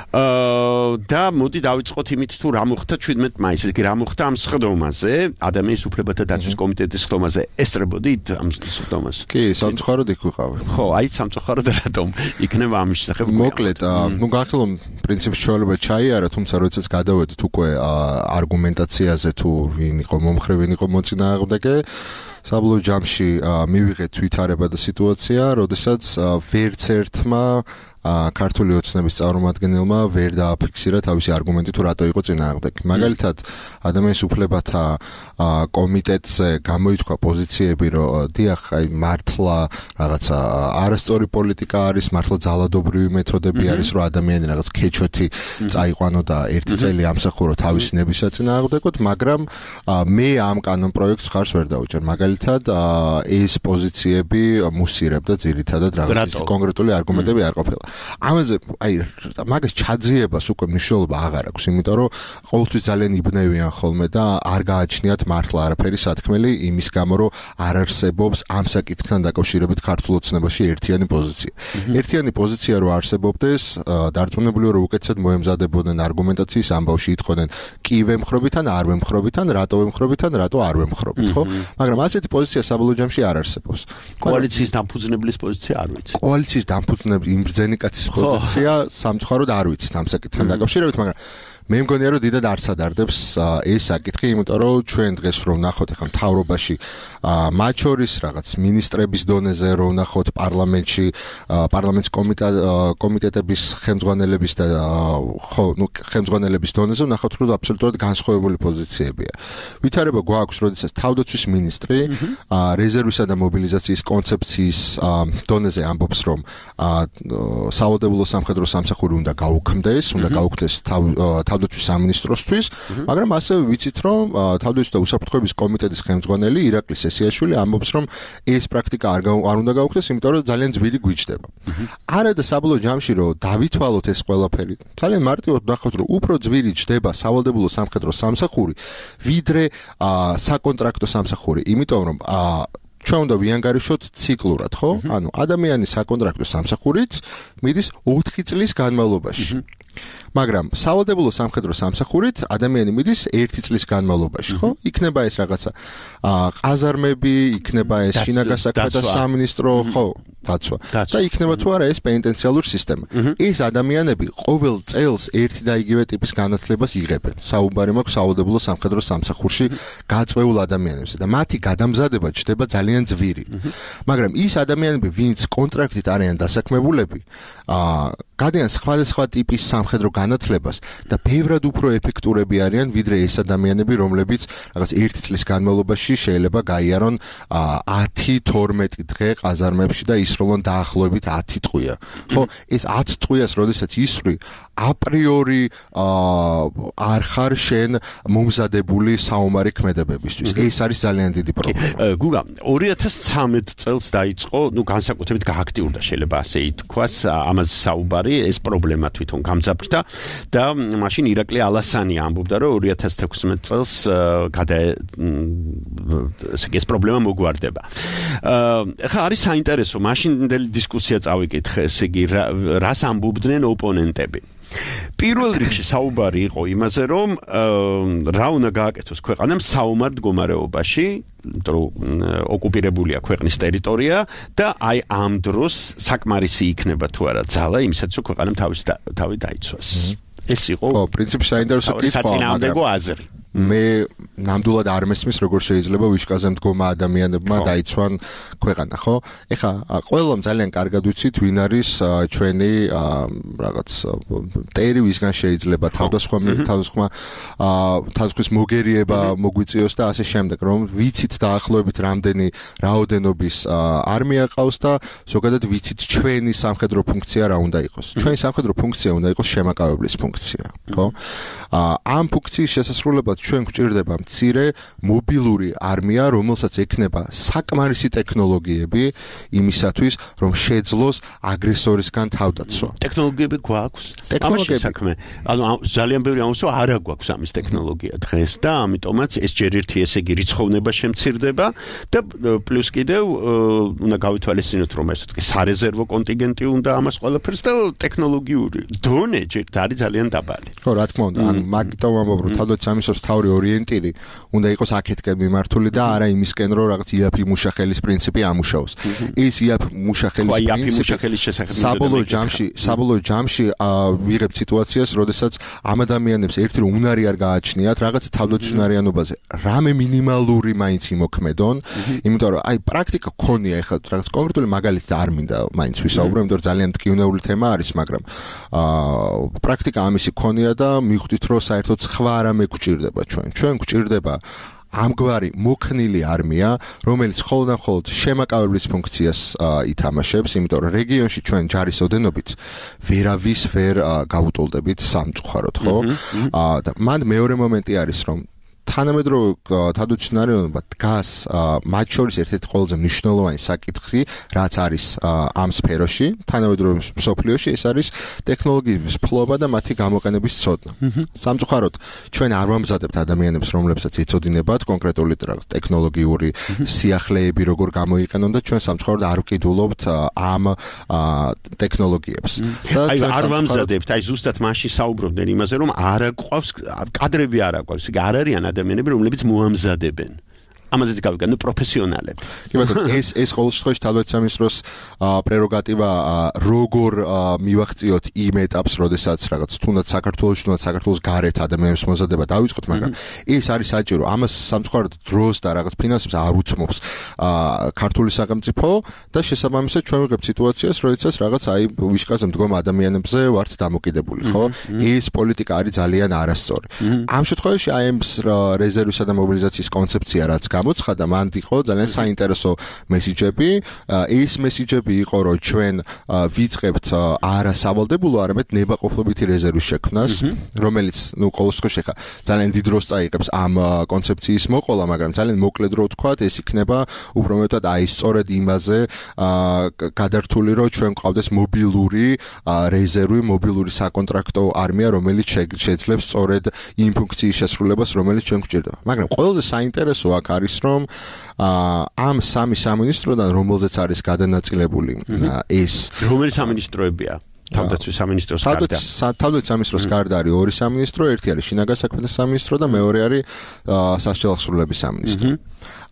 და მოდი დავიწყოთ იმით, თუ რა მოხდა შვიდმეტ მაისს, კი რა მოხდა ამ სხდომაზე, ადამიანის უფლებათა დაცვის კომიტეტის სხდომაზე. ესწრებოდით ამ სხდომას? კი, სამწუხაროდ იქ ვიყავი. ხო, აი სამწუხაროდ რატომ იქნება ამის შესახებ? მოკლედ, ნუ განხილვამ პრინციპში ჩვეულება ჩაიარა, თუმცა როდესაც გადავედით უკვე არგუმენტაციაზე თუ ვინ იყო მომხრე, ვინ იყო მოწინააღმდეგე, საბოლოო ჯამში მივიღეთ ვითარება და სიტუაცია, როდესაც ვერც ერთმა ქართული ოცნების წარმომადგენელმა ვერ დააფიქსირა თავისი არგუმენტი თუ რატო იყო წინააღმდეგი. მაგალითად, ადამიანის უფლებათა კომიტეტზე გამოითქვა პოზიციები, რომ დიახ, აი მართლა რაღაცა არასწორი პოლიტიკა არის, მართლა ძალადობრივი მეთოდები არის, რომ ადამიანი რაღაც ქეჩოთი წაიყვანო და ერთი წელი ამსახურო თავისი ნების საწინააღმდეგოდ, მაგრამ მე ამ კანონპროექტს ხარს ვერ დავუჭერ. მაგალითად, ეს პოზიციები მუსირებდა ძირითადად რაღაც კონკრეტული არგუმენტები არ ყოფილა. ამაზე აი მაგას ჩაძიებას უკვე მნიშვნელობა აღარ აქვს, იმიტომ რომ ყოველთვის ძალიან იბნევიან ხოლმე და არ გააჩნიათ მართლა არაფერი სათქმელი იმის გამო, რომ არ არსებობს ამ საკითხთან დაკავშირებით ქართულ ოცნებაში ერთიანი პოზიცია. ერთიანი პოზიცია რო არსებობდეს, დარწმუნებული ვარ, რომ უკეთესად მოემზადებოდნენ არგუმენტაციის ამბავში, იტყოდნენ კი ვემხრობით ან არ ვემხრობით ან რატო ვემხრობით ან რატო არ ვემხრობით, ხო? მაგრამ ასეთი პოზიცია საბოლოო ჯამში არ არსებობს. კოალიციის დამფუძნებლის პოზიცია არ ვიცი. კოალიციის დამფუძნებლის იმ ბრძენი კაცის პოზიცია სამწუხაროდ არ ვიცით ამ საკითხთან დაკავშირებით, მაგრამ მე მგონია რომ დიდად არ სადარდებს ეს საკითხი, იმიტომ რომ ჩვენ დღეს რომ ნახოთ ახლა მთავრობაში მათ შორის რაღაც მინისტრების დონეზე რომ ნახოთ პარლამენტში პარლამენტის კომიტეტების ხელმძღვანელების და ხო ნუ ხელმძღვანელების დონეზე ნახოთ რომ აბსოლუტურად განსხვავებული პოზიციებია. ვითარება გვაქვს, როდესაც თავდაცვის მინისტრი რეზერვისა და მობილიზაციის კონცეფციის დონეზე ამბობს, რომ სავალდებულო სამხედრო სამსახური უნდა გაუქმდეს, უნდა გაუქმდეს თავდაცვის სამინისტროსთვის, მაგრამ ასევე ვიცით, რომ თავდაცვის და უსაფრთხოების კომიტეტის ხელმძღვანელი ირაკლი სესიაშვილი ამბობს, რომ ეს პრაქტიკა არ არ უნდა გაუქმდეს, იმიტომ რომ ძალიან ძვირი გვიჯდება. არა და საბოლოო ჯამში რომ დავითვალოთ ეს ყველაფერი, ძალიან მარტივად ნახოთ, რომ უფრო ძვირი ჯდება სავალდებულო სამხედრო სამსახური, ვიდრე საკონტრაქტო სამსახური, იმიტომ რომ ჩვენ უნდა ვიანგარიშოთ ციკლურად, ხო? ანუ ადამიანის საკონტრაქტო სამსახურიც მიდის ოთხი წლის განმავლობაში. მაგრამ სავალდებულო სამხედრო სამსახურით ადამიანი მიდის ერთი წლის განმავლობაში, ხო? იქნება ეს რაღაცა ყაზარმები, იქნება ეს შინაგან საქმეთა სამინისტრო, ხო? დაცვა. და იქნება თუ არა ეს პენიტენციალური სისტემა. ეს ადამიანები ყოველ წელს ერთი და იგივე ტიპის განათლებას იღებენ. საუბარი მაქვს სავალდებულო სამხედრო სამსახურში გაწვეულ ადამიანებზე და მათი გადამზადება ჩდება ძალიან ძვირი. მაგრამ ის ადამიანები, ვინც კონტრაქტით არიან დასაქმებულები, აა გადიან სხვადასხვა ტიპის სამხედრო განათლებას და ბევრად უფრო ეფექტურები არიან ვიდრე ეს ადამიანები, რომლებიც რაღაც ერთი წლის განმავლობაში შეიძლება გაიარონ ათი თორმეტი დღე ყაზარმებში და ისროლონ დაახლოებით ათი ტყვია. ხო, ეს ათი ტყვიას, როდესაც ისვრი, აპრიორი არ ხარ შენ მომზადებული საომარი ქმედებებისთვის. ეს არის ძალიან დიდი პრობლემა. გუგა, ორი ათას ცხრამეტ წელს დაიწყო, ну, განსაკუთრებით გააქტიურდა შეიძლება ასე ითქვას, ამაზე საუბარი, ეს პრობლემა თვითონ გამძაფრდა და მაშინ ირაკლი ალასანი ამბობდა, რომ ორი ათას თექვსმეტ წელს გადა ეს პრობლემა მოგვარდება. ხა არის საინტერესო, მაშინდელი დისკუსია წავიკითხე, ესე იგი რას ამბობდნენ ოპონენტები. პირველ რიგში საუბარი იყო იმაზე, რომ რა უნდა გააკეთოს ქვეყანამ საომარ მდგომარეობაში, რომ ოკუპირებულია ქვეყნის ტერიტორია და აი ამ დროს საკმარისი იქნება თუ არა ძალა იმისაც, რომ ქვეყანამ თავის თავი დაიცვას. ეს იყო ხო, პრინციპში საინტერესო კითხვა, საწინააღმდეგო აზრი. მე ნამდვილად არ მესმის როგორ შეიძლება ვიშკაზე მდგომა ადამიანებმა დაიცვან ქვეყანა, ხო? ეხლა ყველამ ძალიან კარგად ვიცით ვინ არის ჩვენი რაღაც ტერი, ვისგან შეიძლება თავდასხმა თავდასხმა თავდასხმის მოგერიება მოგვიწიოს და ასე შემდეგ, რომ ვიცით დაახლოებით რამდენი რაოდენობის არმია ყავს და ზოგადად ვიცით ჩვენი სამხედრო ფუნქცია რა უნდა იყოს. ჩვენი სამხედრო ფუნქცია უნდა იყოს შემაკავებლის ფუნქცია, ხო? ამ ფუნქციის შესასრულებლად ჩვენ გვჭირდება მცირე მობილური არმია, რომელსაც ექნება საკმარისი ტექნოლოგიები იმისათვის, რომ შეძლოს აგრესორისგან თავდაცვა. ტექნოლოგიები გვაქვს. ტექნოლოგიები საქმე. ანუ ძალიან ბევრი ამისო არ გვაქვს ამის ტექნოლოგია დღეს და ამიტომაც ეს ჯერ ერთი ესე იგი რიცხოვნება შემცირდება და პლუს კიდევ უნდა გავითვალისწინოთ, რომ ესე იგი სარეზერვო კონტინგენტი უნდა ამას ყველაფერს და ტექნოლოგიური დონე ჯერ არის ძალიან დაბალი. ხო, რა თქმა უნდა, ან მაგიტომ ამბობ, რომ თავდაცვამისოს თავი ორიენტირი უნდა იყოს აქეთკენ მიმართული და არა იმისკენ, რომ რაღაც იაფი მუშახელის პრინციპი ამუშაოს. ის იაფი მუშახელის პრინციპი საბოლოო ჯამში, საბოლოო ჯამში ვიღებ სიტუაციას, როდესაც ამ ადამიანებს ერთი რომ უნარი არ გააჩნიათ, რაღაც თავდაცვიანობაზე, რამე მინიმალური მაინც იმოქმედონ, იმიტომ რომ აი პრაქტიკა გქონია ეხლა რაღაც კონკრეტული მაგალითი არ მინდა მაინც ვისაუბრო, იმიტომ რომ ძალიან მტკივნეული თემა არის, მაგრამ აა პრაქტიკა ამისი გქონია და მიხვდით რომ საერთოდ სხვა რამე გვჭირდება ჩვენ. ჩვენ გვჭირდება ამგვარი მოქნილი არმია, რომელიც მხოლოდ და მხოლოდ შემაკავებლის ფუნქციას ითამაშებს, იმიტომ რომ რეგიონში ჩვენ ჯარის ოდენობით ვერავის ვერ გაუტოლდებით სამწუხაროდ, ხო? და მან მეორე მომენტი არის, რომ თანამედროვე თავდაცვიანობა დგას მათ შორის ერთ-ერთი ყველაზე მნიშვნელოვანი საკითხი, რაც არის ამ სფეროში, თანამედროვე მსოფლიოში, ეს არის ტექნოლოგიების ფლობა და მათი გამოყენების ცოდნა. სამწუხაროდ, ჩვენ არ ვამზადებთ ადამიანებს, რომლებსაც ეწოდინებათ კონკრეტული ტექნოლოგიური სიახლეები, როგორ გამოიყენონ და ჩვენ სამწუხაროდ არ ვკიდულობთ ამ ტექნოლოგიებს. აი არ ვამზადებთ, აი ზუსტად მაშინ საუბრობდნენ იმაზე, რომ არ აყვავს კადრები არ აყვავს, იგი არ არიან ადამიანები, რომლებიც მოამზადებენ. ამაზეც გავიგან, ნუ პროფესიონალები. კი ბატონო, ეს ეს ყოველ შემთხვევაში თავდაცვამისროს პრეროგატივა როგორ მივახციოთ იმ ეტაპს, როდესაც რაღაც თუნდაც საქართველოს, თუნდაც საქართველოს გარეთ ადამიანებს მომზადება დავიწყოთ, მაგრამ ეს არის საჭირო. ამას სამწუხაროდ დროს და რაღაც ფინანსებს არ უცმობს ქართული სახელმწიფო და შესაბამისად ჩვენ ვიღებთ სიტუაციას, როდესაც რაღაც აი ვიშკაზე მდგომ ადამიანებზე ვართ დამოკიდებული, ხო? ეს პოლიტიკა არის ძალიან არასწორი. ამ შემთხვევაში აი ეს რეზერვისა და მობილიზაციის კონცეფცია რაც გამოცხადა, მან იყო ძალიან საინტერესო მესიჯები. ეს მესიჯები იყო, რომ ჩვენ ვიწყებთ არა სავალდებულო, არამედ ნებაყოფლობითი რეზერვის შექმნას, რომელიც, ну, ყოველ შემთხვევაში ხა ძალიან დიდ დროს წაიღებს ამ კონცეფციის მოყოლა, მაგრამ ძალიან მოკლედ რო ვთქვათ, ეს იქნება უფრო მეტად აი სწორედ იმაზე გადართული, რომ ჩვენ გვყავდეს მობილური რეზერვი, მობილური საკონტრაქტო არმია, რომელიც შეძლებს სწორედ იმ ფუნქციის შესრულებას, რომელიც ჩვენ გვჭირდება. მაგრამ ყველაზე საინტერესო აქ არის რომ ამ სამი სამინისტროდან რომელზეც არის გადანაწილებული ეს რომელი სამინისტროებია თავდაცვის სამინისტროს გარდა თავდაცვის სამინისტროს გარდა არის ორი სამინისტრო, ერთი არის შინაგან საქმეთა სამინისტრო და მეორე არის სასჯელო აღსრულების სამინისტრო.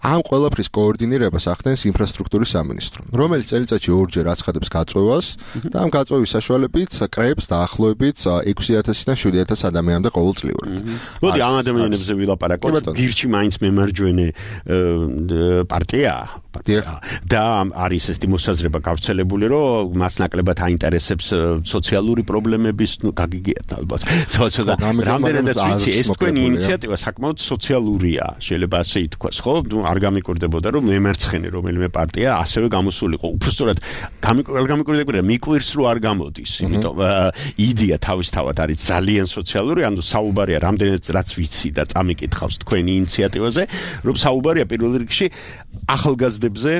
ამ ყველაფრის კოორდინირებას ახდენს ინფრასტრუქტურის სამინისტრო, რომელიც წელიწადში ორჯერ აცხადებს გაწვევას და ამ გაწვევის საშუალებით კრებს დაახლოებით ექვსი ათასიდან შვიდი ათასი ადამიანამდე ყოველწლიურად. მოდი ამ ადამიანებზე ვილაპარაკოთ. გირჩი მაინც მემარჯვენე პარტია და არის ეს მოსაზრება გავრცელებული, რომ მას ნაკლებად აინტერესებს სოციალური პრობლემების, ну, გაგიგიათ ალბათ. რამდენადაც ვიცი, ეს თქვენი ინიციატივა საკმაოდ სოციალურია, შეიძლება ასე ითქვას, ხო? არ გამიკვირდებოდა რომ მემარცხენე რომელიმე პარტია ასევე გამოსულიყო. უბრალოდ გამიკვირდებოდა მიკვირს რომ არ გამოდის. იმიტომ იდეა თავისთავად არის ძალიან სოციალური, ანუ საუბარია რამდენიც რაც ვიცი და წამიკითხავს თქვენი ინიციატივაზე, რომ საუბარია პირველ რიგში ახალგაზრდებზე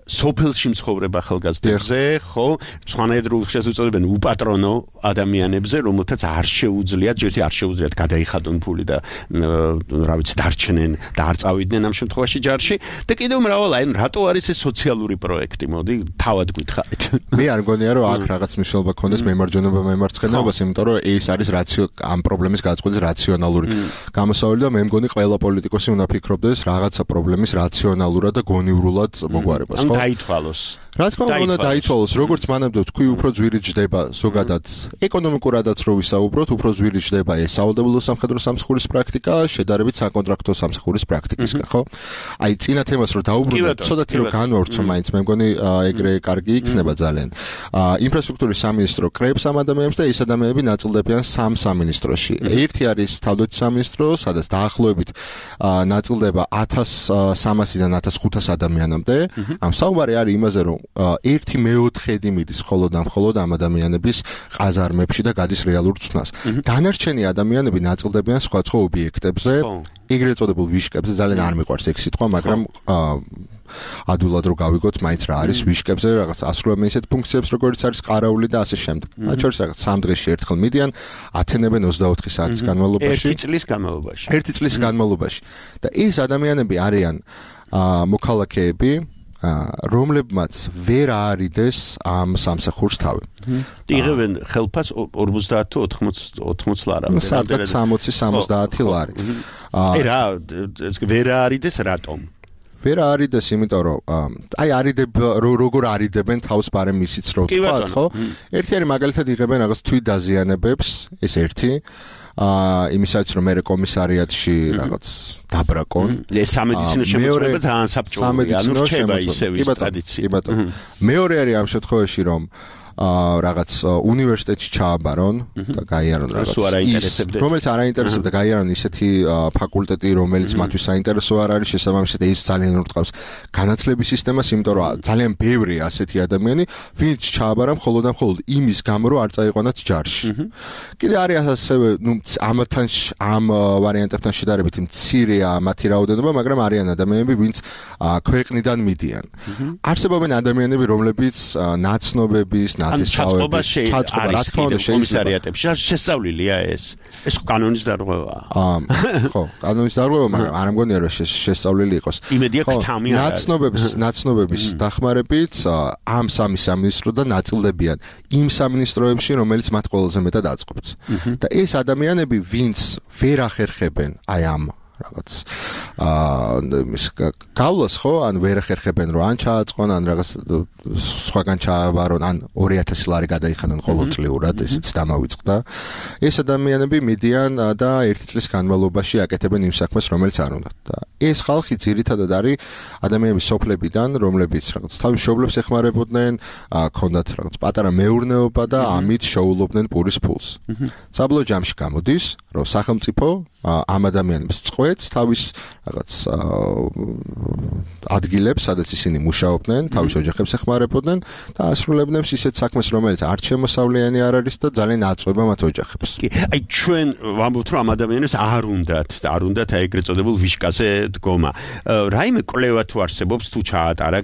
სოფელში მცხოვრებ ახალგაზრდებზე, ხო, სხვანაირად შეუძლებენ უპატრონო ადამიანებზე, რომელთაც არ შეუძლიათ, ჯერჯერობით არ შეუძლიათ გადაიხადონ ფული და რა ვიცი, დარჩნენ და არ წავიდნენ ამ შემთხვევაში ჯარში და კიდევ მრავალ, აი, რატო არის ეს სოციალური პროექტი, მოდი, თავად გითხარით. მე არ მგონია რომ აქ რაღაც მნიშვნელობა ქონდეს მემარჯვენეობა მემარცხენეობას, იმიტომ რომ ეს არის რაციო ამ პრობლემის გადაწყვეტის რაციონალური გამოსავალი და მე მგონი ყველა პოლიტიკოსი უნდა ფიქრობდეს რაღაცა პრობლემის რაციონალურად და გონივრულად მოგვარებას, ხო? დაითვალოს. რა თქმა უნდა დაითვალოს, როგორც მანამდე თქვი, უფრო ძვირი ჯდება ზოგადად ეკონომიკურადაც რო ვისაუბროთ, უფრო ძვირი ჯდება ეს სავალდებულო სამხედრო სამსახურის პრაქტიკა, შედარებით საკონტრაქტო სამსახურის პრაქტიკისგან, ხო? აი, წინა თემას რო დაუბრუნდეთ, ცოტათი რო განვავრცო მაინც, მე მგონი ეგრე კარგი იქნება ძალიან. ინფრასტრუქტურის სამინისტრო კრებს ამ ადამიანებს და ეს ადამიანები ნაწილდებიან სამ სამინისტროში. ერთი არის თავდაცვის სამინისტრო, სადაც დაახლოებით ნაწილდება ათას სამასიდან ათას ხუთას ადამიანამდე. ამ საუბარი არის იმაზე, რომ ერთი მეოთხედი მიდის მხოლოდ ამ მხოლოდ ამ ადამიანების ყაზარმებში და გადის რეალურ ცნას. დანარჩენი ადამიანები ნაწილდებიან სხვადასხვა ობიექტებზე, ეგრეთ წოდებულ ვიშკებზე, ძალიან არ მიყვარს ეგ სიტყვა, მაგრამ ადვილად რო გავიგოთ, მაინც რა არის ვიშკებზე, რაღაც ასრულებენ ისეთ ფუნქციებს, როგორც არის ყარაული და ასე შემდეგ. მათ შორის რაღაც სამ დღეში ერთხელ მიდიან, ათენებენ ოცდაოთხი საათის განმავლობაში. ერთი წლის განმავლობაში. ერთი წლის განმავლობაში. და ეს ადამიანები არიან მოქალაქეები, რომლებმაც ვერ აარიდეს ამ სამსახურს თავი. იღებენ ხელფას ორმოცდაათ თუ ოთხმოცი ლარი. სადღაც სამოცი სამოცდაათი ლარი. აი რა, ვერ აარიდეს რატომ? ვერ აარიდეს, იმიტომ რომ აი არიდებ როგორ არიდებენ თავს ბარემ ისიც რო თქვა, ხო? ერთი არის მაგალითად იღებენ რაღაც თვით დაზიანებებს, ეს ერთი. აა იმისაც რომ მე კომისარიატში რაღაც დაბრაკონ. ეს სამედიცინო შემოწმება ძალიან საბჭოა, ანუ რჩება ისევ ის ტრადიცია. კი ბატონო. მეორე არის ამ შემთხვევაში რომ აა რაღაც უნივერსიტეტში ჩააბარონ და გაიარონ რაღაც. რომელიც არ აინტერესებდა, გაიარონ ისეთი ფაკულტეტი, რომელიც მათთვის საინტერესო არ არის, შესაბამისად ის ძალიან ურტყავს განათლების სისტემას, იმიტომ რომ ძალიან ბევრია ასეთი ადამიანი, ვინც ჩააბარა მხოლოდ და მხოლოდ იმის გამო, რომ არ წაიყვანათ ჯარში. კიდე არის ასევე, ნუ ამათთან ამ ვარიანტებთან შედარებით მცირეა მათი რაოდენობა, მაგრამ არიან ადამიანები, ვინც ქვეყნიდან მიდიან. არსებობენ ადამიანები, რომლებიც ნაცნობების ჩაწყობა შეიძლება რა თქმა უნდა კომისარიატებში შესწავლილია ეს ეს კანონის დარღვევაა. აა ხო, კანონის დარღვევა, მაგრამ არ მგონია რომ შესწავლილი იყოს. იმედია ქთამი არა. ნაცნობების ნაცნობების დახმარებით ამ სამი სამინისტროდან ნაწილდებიან იმ სამინისტროებში, რომელიც მათ ყველაზე მეტად აწყობს. და ეს ადამიანები, ვინც ვერ ახერხებენ აი ამ რაღაც აა ის გავლას ხო, ან ვერ ახერხებენ რომ ან ჩააწყონ, ან რაღაც სხვაგან ჩააბარონ, ან ორი ათასი ლარი გადაიხადონ ყოველწლიურად, ესეც დამავიწყდა. ეს ადამიანები მიდიან და ერთი წლის განმავლობაში აკეთებენ იმ საქმეს, რომელიც არ უნდათ. და ეს ხალხი ძირითადად არის ადამიანების სოფლებიდან, რომლებიც რაღაც თავის მშობლებს ეხმარებოდნენ, ჰქონდათ რაღაც პატარა მეურნეობა და ამით შეულობდნენ პურის ფულს. საბოლოო ჯამში გამოდის, რომ სახელმწიფო ამ ადამიანებს წყვეტს თავის რაღაც ადგილებს, სადაც ისინი მუშაობდნენ, თავის ოჯახებს ეხმარებოდნენ და ასრულებდნენ ისეთ საქმეს, რომელიც არ შემოსავლიანი არ არის და ძალიან აწვება მათ ოჯახებს. კი, აი ჩვენ ვამბობთ, რომ ამ ადამიანებს არ უნდათ და არ უნდათ აი ეგრეთ წოდებულ ვიშკაზე დგომა. რაიმე კვლევა თუ არსებობს, თუ ჩაატარა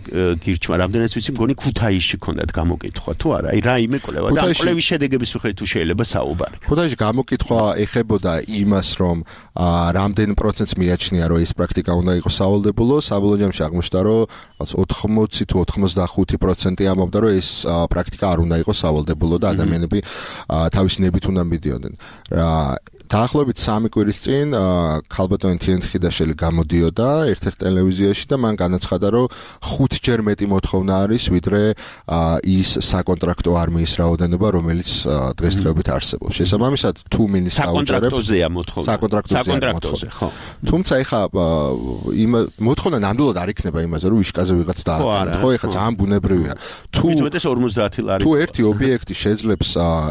გირჩმა, რამდენიც ვიცი, მგონი ქუთაისში ქონდათ გამოკითხვა, თუ არა? აი რაიმე კვლევა და კვლევის შედეგების მიხედვით თუ შეიძლება საუბარი. ქუთაისში გამოკითხვა ეხებოდა იმას, რომ რამდენ პროცენტს მიაჩნია, რომ ეს პრაქტიკა უნდა იყოს სავალდებულო, საბოლოო ჯამში აღმოჩნდა, რომ ოთხმოცი თუ ოცდახუთი პროცენტი ამბობდა, რომ ეს პრაქტიკა არ უნდა იყოს სავალდებულო და ადამიანები თავისი ნებით უნდა მიდიოდნენ. დაახლოებით სამი კვირის წინ ქალბატონი თიანთიხიდაშელი გამოდიოდა ერთ-ერთ ტელევიზიაში და მან განაცხადა, რომ ხუთჯერ მეტი მოთხოვნა არის, ვიდრე ის საკონტრაქტო არმიის რაოდენობა, რომელიც დღესდღეობით არსებობს. შესაბამისად, თუ მინის საკონტრაქტოზეა მოთხოვნა. საკონტრაქტოზეა მოთხოვნა. თუმცა ეხა იმ მოთხოვნა ნამდვილად არ იქნება იმაზე, რომ ვიშკაზე ვიღაც დააყენოთ. ხო, ეხა ძალიან ბუნებრივია. თუ მითუმეტეს ორმოცდაათი ლარი. თუ ერთი ობიექტი შეძლებს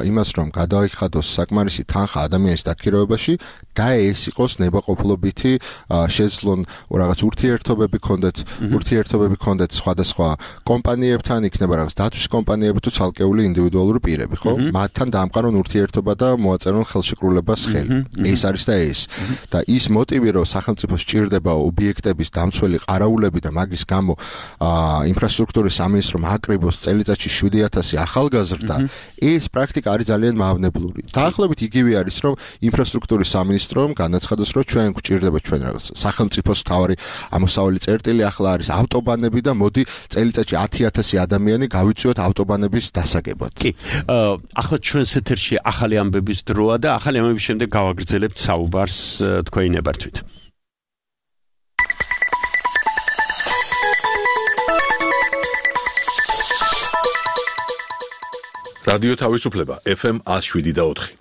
იმას, რომ გადაიხადოს საკმარისი თანხა ადამიანის დაქირავებაში და ეს იყოს ნებაყოფლობითი შეძლონ რაღაც ურთიერთობები ქონდეთ, ურთიერთობები ქონდეთ სხვადასხვა კომპანიებთან, იქნება რაღაც დაცვის კომპანიები თუ ცალკეული ინდივიდუალური პირები, ხო? მათთან დაამყარონ ურთიერთობა და მოაწერონ ხელშეკრულებას ხელი. ეს არის და ეს. და ის მოტივი, რომ სახელმწიფო სჭირდება ობიექტების დამცველი ყარაულები და მაგის გამო ინფრასტრუქტურის სამინისტრომ აკრიბოს წელიწადში შვიდი ათასი ახალგაზრდა, ეს პრაქტიკა არის ძალიან მავნებლური. დაახლოებით იგივე არის, რომ ინფრასტრუქტურის სამინისტრომ განაცხადოს, რომ ჩვენ გვჭირდება ჩვენ რაღაც სახელმწიფოს თავარი ამოსავალი წერტილი ახლა არის ავტობანები და მოდი წელიწადში ათი ათასი ადამიანი გავიწვიოთ ავტობანების დასაგებად. კი. ახლა ჩვენს ეთერში ახალი ამბების დროა და ახალი ამბების შემდეგ გავაგრძელებთ საუბარს თქვენი ნებართვით. რადიო თავისუფლება ეფ ემ one oh seven და ოთხი.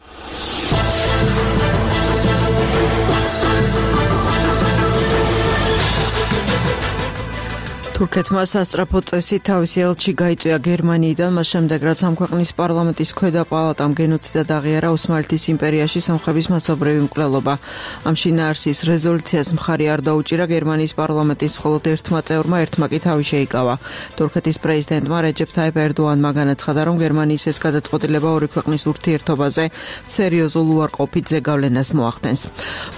თურქეთმა სასწრაფო წესით თავისი ელჩი გაიწვია გერმანიიდან, მას შემდეგ რაც ამ ქვეყნის პარლამენტის ქვედა პალატამ გენოციდად აღიარა ოსმალეთის იმპერიაში სომხების მასობრივი მკვლელობა. ამ შინაარსის რეზოლუციას მხარი არ დაუჭირა გერმანიის პარლამენტის მხოლოდ ერთმა წევრმა, ერთმა კი თავი შეიკავა. თურქეთის პრეზიდენტმა რეჯეფ თაიფ ერდოანმა განაცხადა, რომ გერმანიის ეს გადაწყვეტილება ორი ქვეყნის ურთიერთობაზე სერიოზულ უარყოფით ზეგავლენას მოახდენს.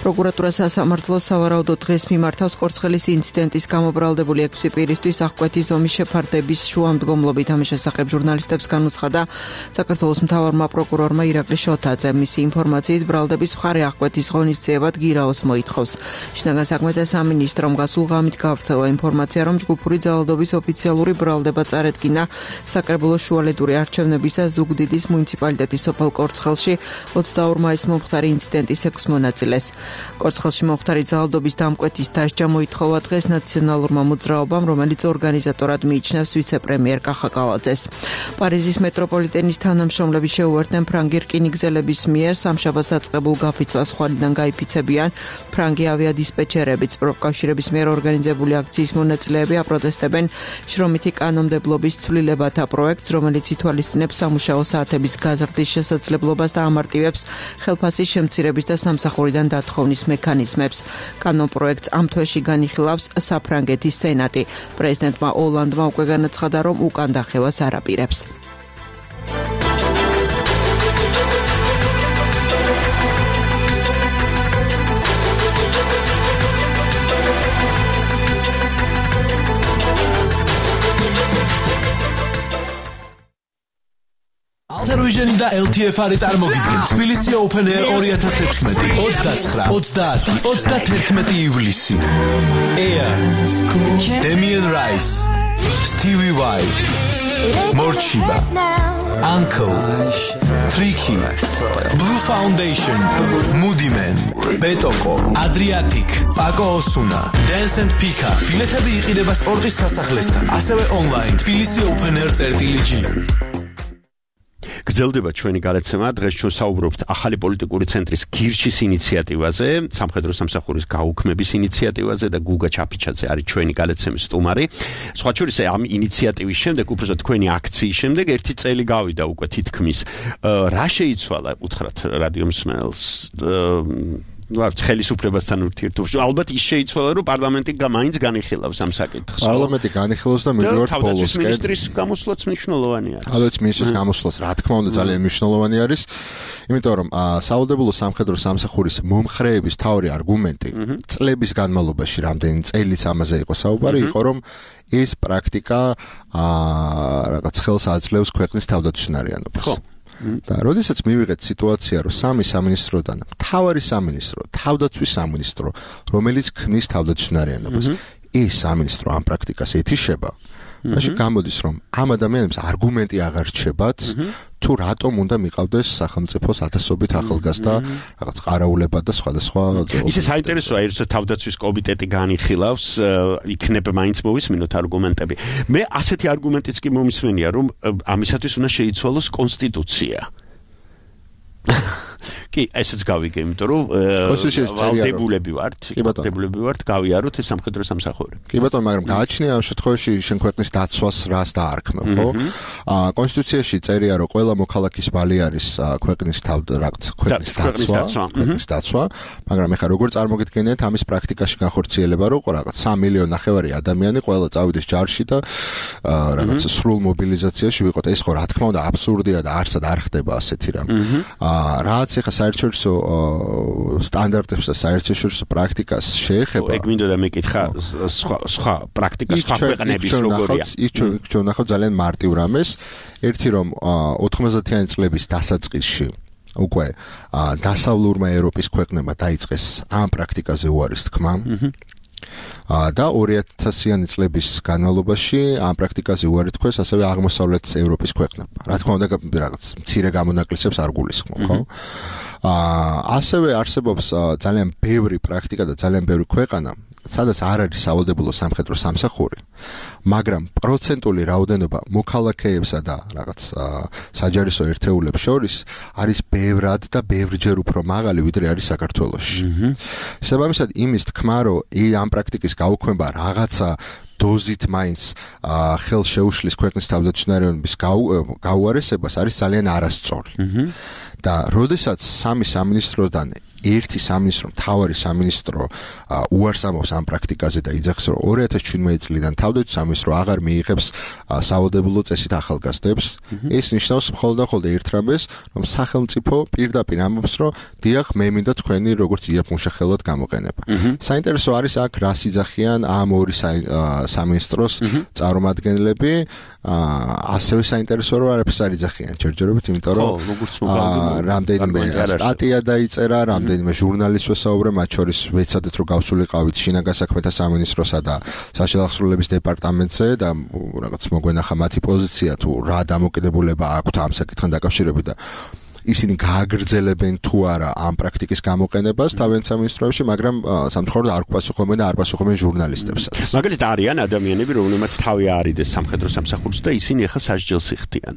პროკურატურა სასამართლოს სავარაუდოდ დღეს მიმართავს კორცხელის ინციდენტის გამობრალდებული ექვსი პირისთვის აღკვეთის ზომის შეფარდების შუამდგომლობით. ამის შესახებ ჟურნალისტებს განუცხადა საქართველოს მთავარმა პროკურორმა ირაკლი შოთაძე. მისი ინფორმაციით ბრალდების მხარე აღკვეთის ღონისძიებად გირაოს მოითხოვს. შინაგან საქმეთა სამინისტრომ გასულ ღამით გავრცელა ინფორმაცია, რომ ჯგუფური ძალადობის ოფიციალური ბრალდება წარედგინა საკრებულოს შუალედური არჩევნების და ზუგდიდის მუნიციპალიტეტის სოფელ კორცხელში ოცდაორ მაისს მომხდარი ინციდენტის ექვს მონაწილეს. კორცხელში მომხდარი ძალადობის დამკვეთის დასჯა მოითხოვა დღეს ნაციონალურმა მოძრაობამ, რომელიც ორგანიზატორად მიიჩნევს ვიცე-პრემიერ კახა კალაძეს. პარიზის მეტროპოლიტენის თანამშრომლები შეუერთდნენ ფრანგი რკინიგზელების მიერ სამშაბათს დაწყებულ გაფიცვას ხვალიდან გაიფიცებიან. ფრანგი ავიადისპეჩერებიც პროფკავშირების მიერ ორგანიზებული აქციის მონაწილეები აპროტესტებენ შრომითი კანონმდებლობის ცვლილებათა პროექტს, რომელიც ითვალისწინებს სამუშაო საათების გაზრდის შესაძლებლობას და ამარტივებს ხელფასის შემცირების და სამსახურიდან დათხოვნის მექანიზმებს. კანონპროექტს ამ თვეში განიხილავს საფრანგეთის სენატი. პრეზიდენტმა ოლანდმა უკვე განაცხადა, რომ უკან დახევას არ აპირებს. Altavision და ელ თი ეფ არის წარმოგიდგენ თბილისი Open Air ორი ათას თექვსმეტი ოცდაცხრა ოცდაათი ოცდათერთმეტი ივლისი. Air Damian Rice, Stevie Vai, Morchiba, Uncle, Tricky, Blue Foundation, Moody Man, Betoko, Adriatic, Paco Osuna, Dance and Pika. ბილეთები იყიდება სპორტის სასახლესთან, ასევე online თბილისი Open Air წერტილი-ჯი. გრძელდება ჩვენი გადაცემა. დღეს ჩვენ საუბრობთ ახალი პოლიტიკური ცენტრის გირჩის ინიციატივაზე, სამხედრო სამსახურის გაუქმების ინიციატივაზე და გუგა ჩაფიჩაძე არის ჩვენი გადაცემის სტუმარი. სხვა შორის ამ ინიციატივის შემდეგ, უბრალოდ თქვენი აქციის შემდეგ ერთი წელი გავიდა უკვე თითქმის. რა შეიცვალა უთხრათ რადიო მსმენელს? ვართ ხელისუფლებასთან ურთიერთობაში. ალბათ ის შეიცვალა, რომ პარლამენტი მაინც განიხილავს ამ საკითხს. პარლამენტი განიხილავს და მივიდივართ ბოლოსკენ. მინისტრის გამოსვლაც მნიშვნელოვანი არის. ალბათ მინისტრის გამოსვლაც რა თქმა უნდა ძალიან მნიშვნელოვანი არის. იმიტომ რომ სავალდებულო სამხედრო სამსახურის მომხრეების თავი არგუმენტი წლების განმავლობაში, რამდენი წელიც ამაზე იყო საუბარი, იყო რომ ეს პრაქტიკა რაღაც ხელს აძლევს ქვეყნის თავდაცვისნარიანობას. და როდესაც მივიღეთ სიტუაცია, რომ სამი სამინისტროდან მთავარი სამინისტრო, თავდაცვის სამინისტრო, რომელიც ქმნის თავდაცვისნარიანობას, ეს სამინისტრო ამ პრაქტიკას ეთიშება, მაშინ გამოდის, რომ ამ ადამიანებს არგუმენტი აღარ რჩებათ, თუ რატომ უნდა მიყავდეს სახელმწიფოს ათასობით ახალგაზრდა რაღაც ყარაულებად და სხვადასხვა. ისე საინტერესოა, ერთ თავდაცვის კომიტეტი განიხილავს, იქნება მაინც მოვისმინოთ არგუმენტები. მე ასეთი არგუმენტიც კი მომისმენია, რომ ამისათვის უნდა შეიცვალოს კონსტიტუცია. კი, ესეც გავიგე, იმიტომ რომ ვალდებულები ვართ, ვალდებულები ვართ გავიაროთ ეს სამხედრო სამსახური. კი ბატონო, მაგრამ გააჩნია ამ შემთხვევაში შენ ქვეყნის დაცვას რას დაარქმევ, ხო? აა კონსტიტუციაში წერია, რომ ყველა მოქალაქის ვალი არის ქვეყნის თავ რაღაც ქვეყნის დაცვა, ქვეყნის დაცვა, მაგრამ ეხლა როგორ წარმოგიდგენიათ ამის პრაქტიკაში განხორციელება, რომ რაღაც სამი მილიონი ნახევარი ადამიანი ყველა წავიდეს ჯარში და რაღაც სრულ მობილიზაციაში ვიყოთ. ეს ხო რა თქმა უნდა აბსურდია და არსად არ ხდება ასეთი რამ. აა რაც ეხლა საერთაშორისო სტანდარტებს და საერთაშორისო პრაქტიკას შეეხება. ეგ მინდოდა მეკითხა სხვა სხვა პრაქტიკა სხვა ქვეყნების როგორია. იქ ჩვენ ნახავთ ძალიან მარტივ რამეს. ერთი რომ ოთხმოცდაათიანი წლების დასაწყისში უკვე დასავლურმა ევროპის ქვეყნებმა დაიწყეს ამ პრაქტიკაზე უარის თქმა. და ორი ათასიანი წლების განმავლობაში ამ პრაქტიკაზე უარი თქვეს ასევე აღმოსავლეთ ევროპის ქვეყნებმა. რა თქმა უნდა, რაღაც მცირე გამონაკლისებს არ გულისხმობ, ხო? აა ასევე არსებობს ძალიან ბევრი პრაქტიკა და ძალიან ბევრი ქვეყანა, სადაც არ არის სავალდებულო სამხედრო სამსახური, მაგრამ პროცენტული რაოდენობა მოქალაქეებსა და რაღაც საჯარისო ერთეულებს შორის არის ბევრად და ბევრჯერ უფრო მაღალი, ვიდრე არის საქართველოში. შესაბამისად, იმის თქმა, რომ ამ პრაქტიკის გაუქმება რაღაცა დოზით მაინც ხელს შეუშლის ქვეყნის თავდაცვითარების გაუარესებას არის ძალიან არასწორი. და როდესაც სამი სამინისტროდან ერთი სამინისტრო, მთავარი სამინისტრო უარს ამბობს ამ პრაქტიკაზე და იძახს, რომ ორი ათას შვიდმეტი წლიდან თავდაცვის სამინისტრო აღარ მიიღებს სავალდებულო წესით ახალგაზრდებს, ეს ნიშნავს მხოლოდ და მხოლოდ ერთ რამეს, რომ სახელმწიფო პირდაპირ ამბობს, რომ დიახ, მე მინდა თქვენი როგორც იაფმუშახელად გამოყენება. საინტერესო არის აქ რას იძახიან ამ ორი სამინისტროს წარმომადგენლები, ასევე საინტერესო რომ არაფერს არ იძახიან ჯერჯერობით, იმიტომ რომ რამდენიმე სტატია დაიწერა, რამდენიმე ჟურნალისტს ვესაუბრე, მათ შორის ვეცადეთ რომ გავსულიყავით შინაგან საქმეთა სამინისტროსა და საშინააღმდეგობის დეპარტამენტზე და რაღაც მოგვენახა მათი პოზიცია თუ რა დამოკიდებულება აქვთ ამ საკითხთან დაკავშირებით და ისინი გააგრძელებენ თუ არა ამ პრაქტიკის გამოყენებას თავიანთ სამინისტროებში, მაგრამ სამწუხაროდ არ გვპასუხობენ და არ პასუხობენ ჟურნალისტებსაც. მაგალითად არიან ადამიანები, რომლებმაც თავი აარიდეს სამხედრო სამსახურს და ისინი ახლა სასჯელს იხდიან.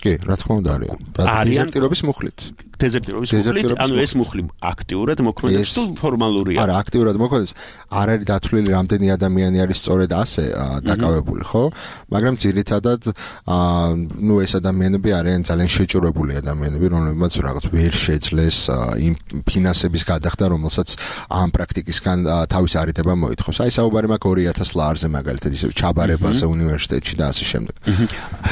კი, რა თქმა უნდა არიან. დეზერტირობის მუხლით. დეზერტირობის მუხლით, ანუ ეს მუხლი აქტიურად მოქმედებს თუ ფორმალურია? არა, აქტიურად მოქმედებს. არ არის დათვლილი რამდენი ადამიანი არის სწორედ ასე დაკავებული, ხო? მაგრამ ძირითადად ნუ ეს ადამიანები არიან ძალიან შეჭურებული ადამიანები, რომლებმაც რაღაც ვერ შეძლეს იმ ფინანსების გადახდა, რომელსაც ამ პრაქტიკისგან თავის არიდება მოითხოვს. აი საუბარი მაქვს ორი ათას ლარზე მაგალითად, ისევ ჩაბარებაზე უნივერსიტეტში და ასე შემდეგ.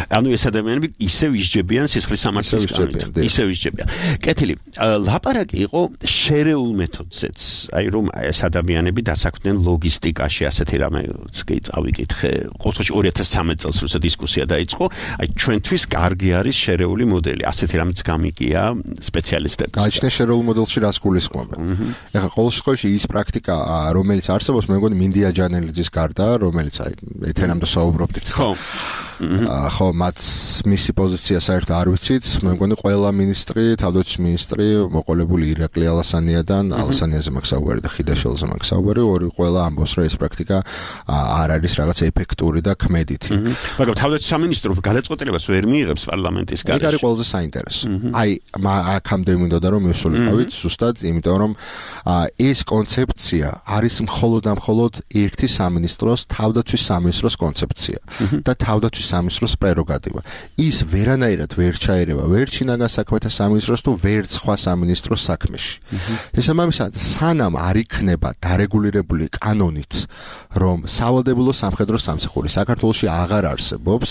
ანუ ეს ადამიანები ისევ ისჯებიან სისხლის სამართლის კანონით. ისევ ისჯებიან. კეთილი, ლაპარაკი იყო შერეულ მეთოდზეც, აი რომ ეს ადამიანები დასაქმდნენ ლოგისტიკაში, ასეთი რამეც კი წავიკითხე. ყოველთვის ორი ათას ცხრამეტ წელს როცა დისკუსია დაიწყო, აი ჩვენთვის კარგი არის შერეული მოდელი. ასეთი რამეც გამიგია სპეციალისტებს. გააჩნია შერეულ მოდელში რას გულისხმობენ. ეხლა ყოველ შემთხვევაში ის პრაქტიკა, რომელიც არსებობს, მე მგონი მინდია ჯანელიძის გარდა, რომელიც აი ეთერამდე საუბრობდით. ხო. ხო, მათ მისი პოზიცია საერთოდ არ ვიცით, მე მგონი ყველა მინისტრი, თავდაცვის მინისტრი მოყოლებული ირაკლი ალასანიადან, ალასანიაზე მაქვს საუბარი და ხიდაშელზე მაქვს საუბარი, ორი ყველა ამბობს, რომ ეს პრაქტიკა არ არის რაღაც ეფექტური და ქმედითი. მაგრამ თავდაცვის სამინისტრო გადაწყვეტილებას ვერ მიიღებს პარლამენტის გარეშე. ეგ არის ყველაზე საინტერესო. აი, აქამდე მინდოდა რომ მივსულიყავით ზუსტად, იმიტომ რომ ეს კონცეფცია არის მხოლოდ და მხოლოდ ერთი სამინისტროს, თავდაცვის სამინისტროს კონცეფცია და თავდაცვის სამინისტროს პრეროგატივა. ის ვერანაირად ვერ ჩაერევა ვერ შინაგან საქმეთა სამინისტროს თუ ვერ სხვა სამინისტროს საქმეში. შესაბამისად, სანამ არ იქნება დარეგულირებული კანონით, რომ სავალდებულო სამხედრო სამსახური საქართველოში აღარ არსებობს,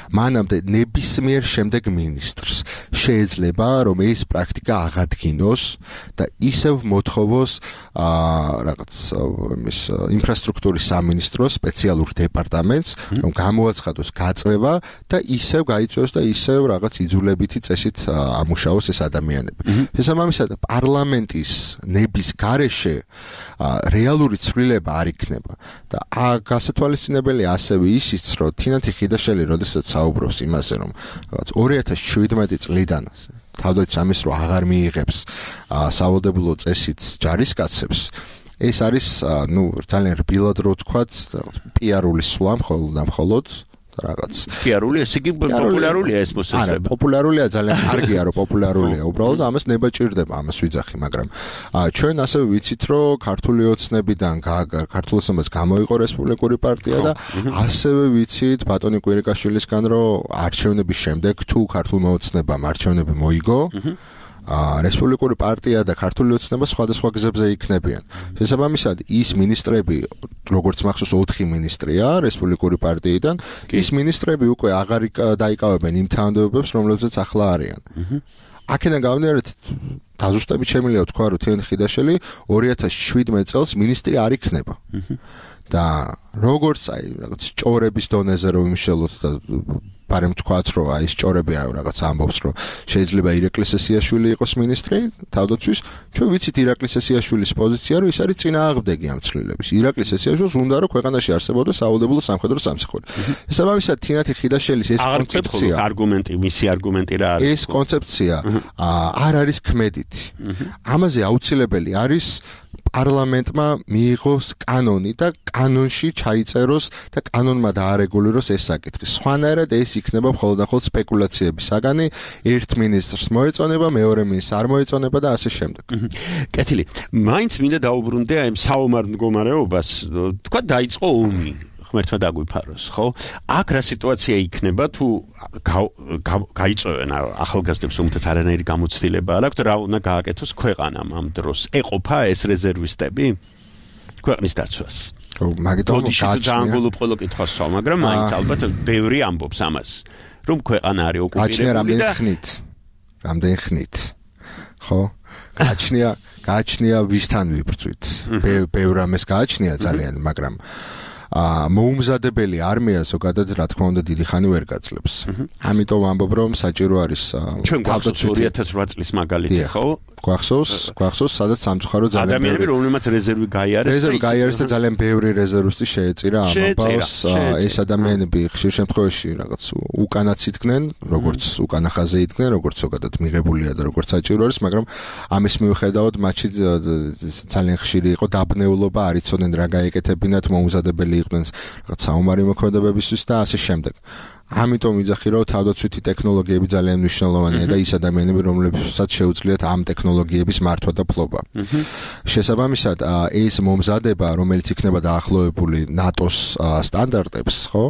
მანამდე ნებისმიერ შემდეგ მინისტრს შეიძლება, რომ ეს პრაქტიკა აღადგინოს და ისევ მოთხოვოს რაღაც იმის ინფრასტრუქტურის სამინისტროს სპეციალურ დეპარტამენტს, რომ გამოაცხადოს გაწევა და ისევ გაიწვევს და ისევ რაღაც იძულებითი წესით ამუშავოს ეს ადამიანები. შესაბამისად, პარლამენტის ნების გარეშე რეალური ცვლილება არ იქნება და გასათვალისწინებელი ასევე ისიც, რომ თინათი ხიდაშელი როდესაც საუბრობს იმაზე, რომ რაღაც ორი ათას შვიდმეტი წლიდან თავდაცვის სამინისტრო აღარ მიიღებს სავალდებულო წესით ჯარისკაცებს, ეს არის ნუ ძალიან რბილად რო ვთქვათ, პიარული სვლა მხოლოდ და მხოლოდ რაღაც. პიარული, ესე იგი პოპულარულია ეს მოსაზრება. არა, პოპულარულია ძალიან კარგია, რომ პოპულარულია. უბრალოდ ამას ნება ჭირდება, ამას ვიძახი, მაგრამ ჩვენ ასევე ვიცით, რომ ქართული ოცნებიდან ქართულ ოცნებას გამოიყო რესპუბლიკური პარტია და ასევე ვიცით ბატონი კვირიკაშვილისგან, რომ არჩევნების შემდეგ თუ ქართულმა ოცნებამ არჩევნები მოიგო, ა რესპუბლიკური პარტია და ქართული ოცნება სხვადასხვა გზებზე იქნებიან. შესაბამისად, ის მინისტრები, როგორც მახსოვს ოთხი მინისტრია რესპუბლიკური პარტიიდან, ის მინისტრები უკვე აღარ დაიკავებენ იმ თანამდებობებს, რომლებზეც ახლა არიან. აქედან გამომდინარე, დაზუსტებით შემიძლია თქვა, რომ თეონ ხიდაშელი ორი ათას შვიდმეტ წელს მინისტრი არ იქნება. და როგორც აი რაღაც ჭორების დონეზე რომ იმშელოთ და ბარემ თქვათ, რომ აი ეს ჭორები აი რაღაც ამბობს, რომ შეიძლება ირაკლი სესიაშვილი იყოს მინისტრი თავდაცვის, ჩვენ ვიცით ირაკლი სესიაშვილის პოზიცია, რომ ის არის წინააღმდეგი ამ ცვლილების. ირაკლი სესიაშვილს უნდა რომ ქვეყანაში არსებობდეს სავალდებულო სამხედრო სამსახური. შესაბამისად, თინათი ხიდაშელის ეს კონცეფცია, არგუმენტი, მისი არგუმენტი რა არის? ეს კონცეფცია არ არის ქმედითი. ამაზე აუცილებელი არის პარლამენტმა მიიღოს კანონი და კანონში ჩაიწეროს და კანონმა დაარეგულიროს ეს საკითხი. სხვანაირად ეს იქნება მხოლოდ და მხოლოდ სპეკულაციების საგანი, ერთ მინისტრს მოეწონება, მეორე მინისტრს არ მოეწონება და ასე შემდეგ. კეთილი. მაინც მინდა დაუბრუნდე აი საომარ მდგომარეობას, თქვა დაიწყო ომი. ღმერთმა დაგვიფაროს, ხო? აქ რა სიტუაცია იქნება თუ გაიწოვენ ახალგაზრდებს, რომელთაც არანაირი გამოცდილება არ აქვთ, რა უნდა გააკეთოს ქვეყანამ ამ დროს? ეყოფა ეს რეზერვისტები ქვეყნის დაცვას? ხო, მაგიტომ გააჩნია. ძალიან ყოველ კითხვას ვსვამ, მაგრამ მაინც ალბათ ბევრი ამბობს ამას, რომ ქვეყანა არის ოკუპირებული და რამდენი ხნით? რამდენი ხნით? ხო? გააჩნია, გააჩნია ვისთან ვიბრძვით. ბევრ ამას გააჩნია ძალიან, მაგრამ ა მოუმზადებელი არმია ზოგადად რა თქმა უნდა დიდი ხანი ვერ გაძლებს. ამიტომ ამბობ რომ საჭირო არის ჩვენ გვახსოვს ორი ათას ოთხ წლის მაგალითი, ხო? გვახსოვს, გვახსოვს, სადაც სამწუხარო ძალიან ადამიანები, რომლებმაც რეზერვი გაიარეს. რეზერვი გაიარეს და ძალიან ბევრი რეზერვისტი შეეწირა ამ ამბავს. ეს ადამიანები ხშირ შემთხვევაში რაღაც უკანაც იდგნენ, როგორც უკანა ხაზზე იდგნენ, როგორც ზოგადად მიღებულია და როგორც საჭირო არის, მაგრამ ამის მიუხედავად მათში ძალიან ხშირი იყო დაბნეულობა, არ იცოდნენ რა გაეკეთებინათ, მოუმზადებელი იყვნენ რაღაც საომარი მოქმედებებისთვის და ასე შემდეგ. ამიტომ ვიძახი რომ თავდაცვითი ტექნოლოგიები ძალიან მნიშვნელოვანია და ის ადამიანები რომლებსაც შეუძლიათ ამ ტექნოლოგიების მართვა და ფლობა. შესაბამისად ეს მომზადება რომელიც იქნება დაახლოებული ნატოს სტანდარტებს, ხო?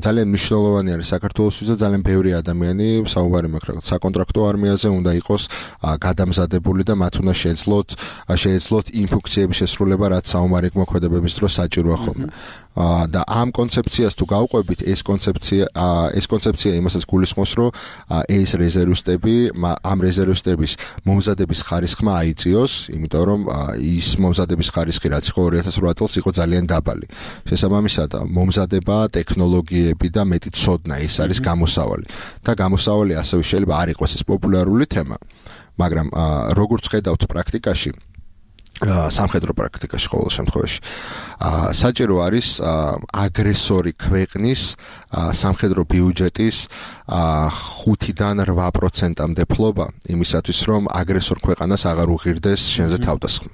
ძალიან მნიშვნელოვანი არის საქართველოსთვის და ძალიან ბევრი ადამიანი საუბარი მაქვს რაღაც საკონტრაქტო არმიაზე უნდა იყოს გადამზადებული და მათ უნდა შეეძლოთ შეეძლოთ იმ ფუნქციების შესრულება რაც საომარი მოქმედებების დროს საჭიროა ხოლმე. და ამ კონცეფციას თუ გავყვებით ეს კონცეფცია ეს კონცეფცია იმასაც გულისხმობს რომ ეს რეზერვისტები ამ რეზერვისტების მომზადების ხარისხმა აიწიოს, იმიტომ რომ ის მომზადების ხარისხი რაც იყო ორი ათას ოთხ წელს იყო ძალიან დაბალი. შესაბამისად მომზადება, ტექნოლოგიები და მეტი ცოდნა ეს არის გამოსავალი. და გამოსავალი ასევე შეიძლება არ იყოს ეს პოპულარული თემა, მაგრამ როგორც ხედავთ პრაქტიკაში სამხედრო პრაქტიკაში ყოველ შემთხვევაში საჭირო არის აგრესორი ქვეყნის სამხედრო ბიუჯეტის ხუთიდან რვა პროცენტამდე ფლობა იმისათვის რომ აგრესორ ქვეყანას აღარ უღირდეს შენზე თავდასხმა.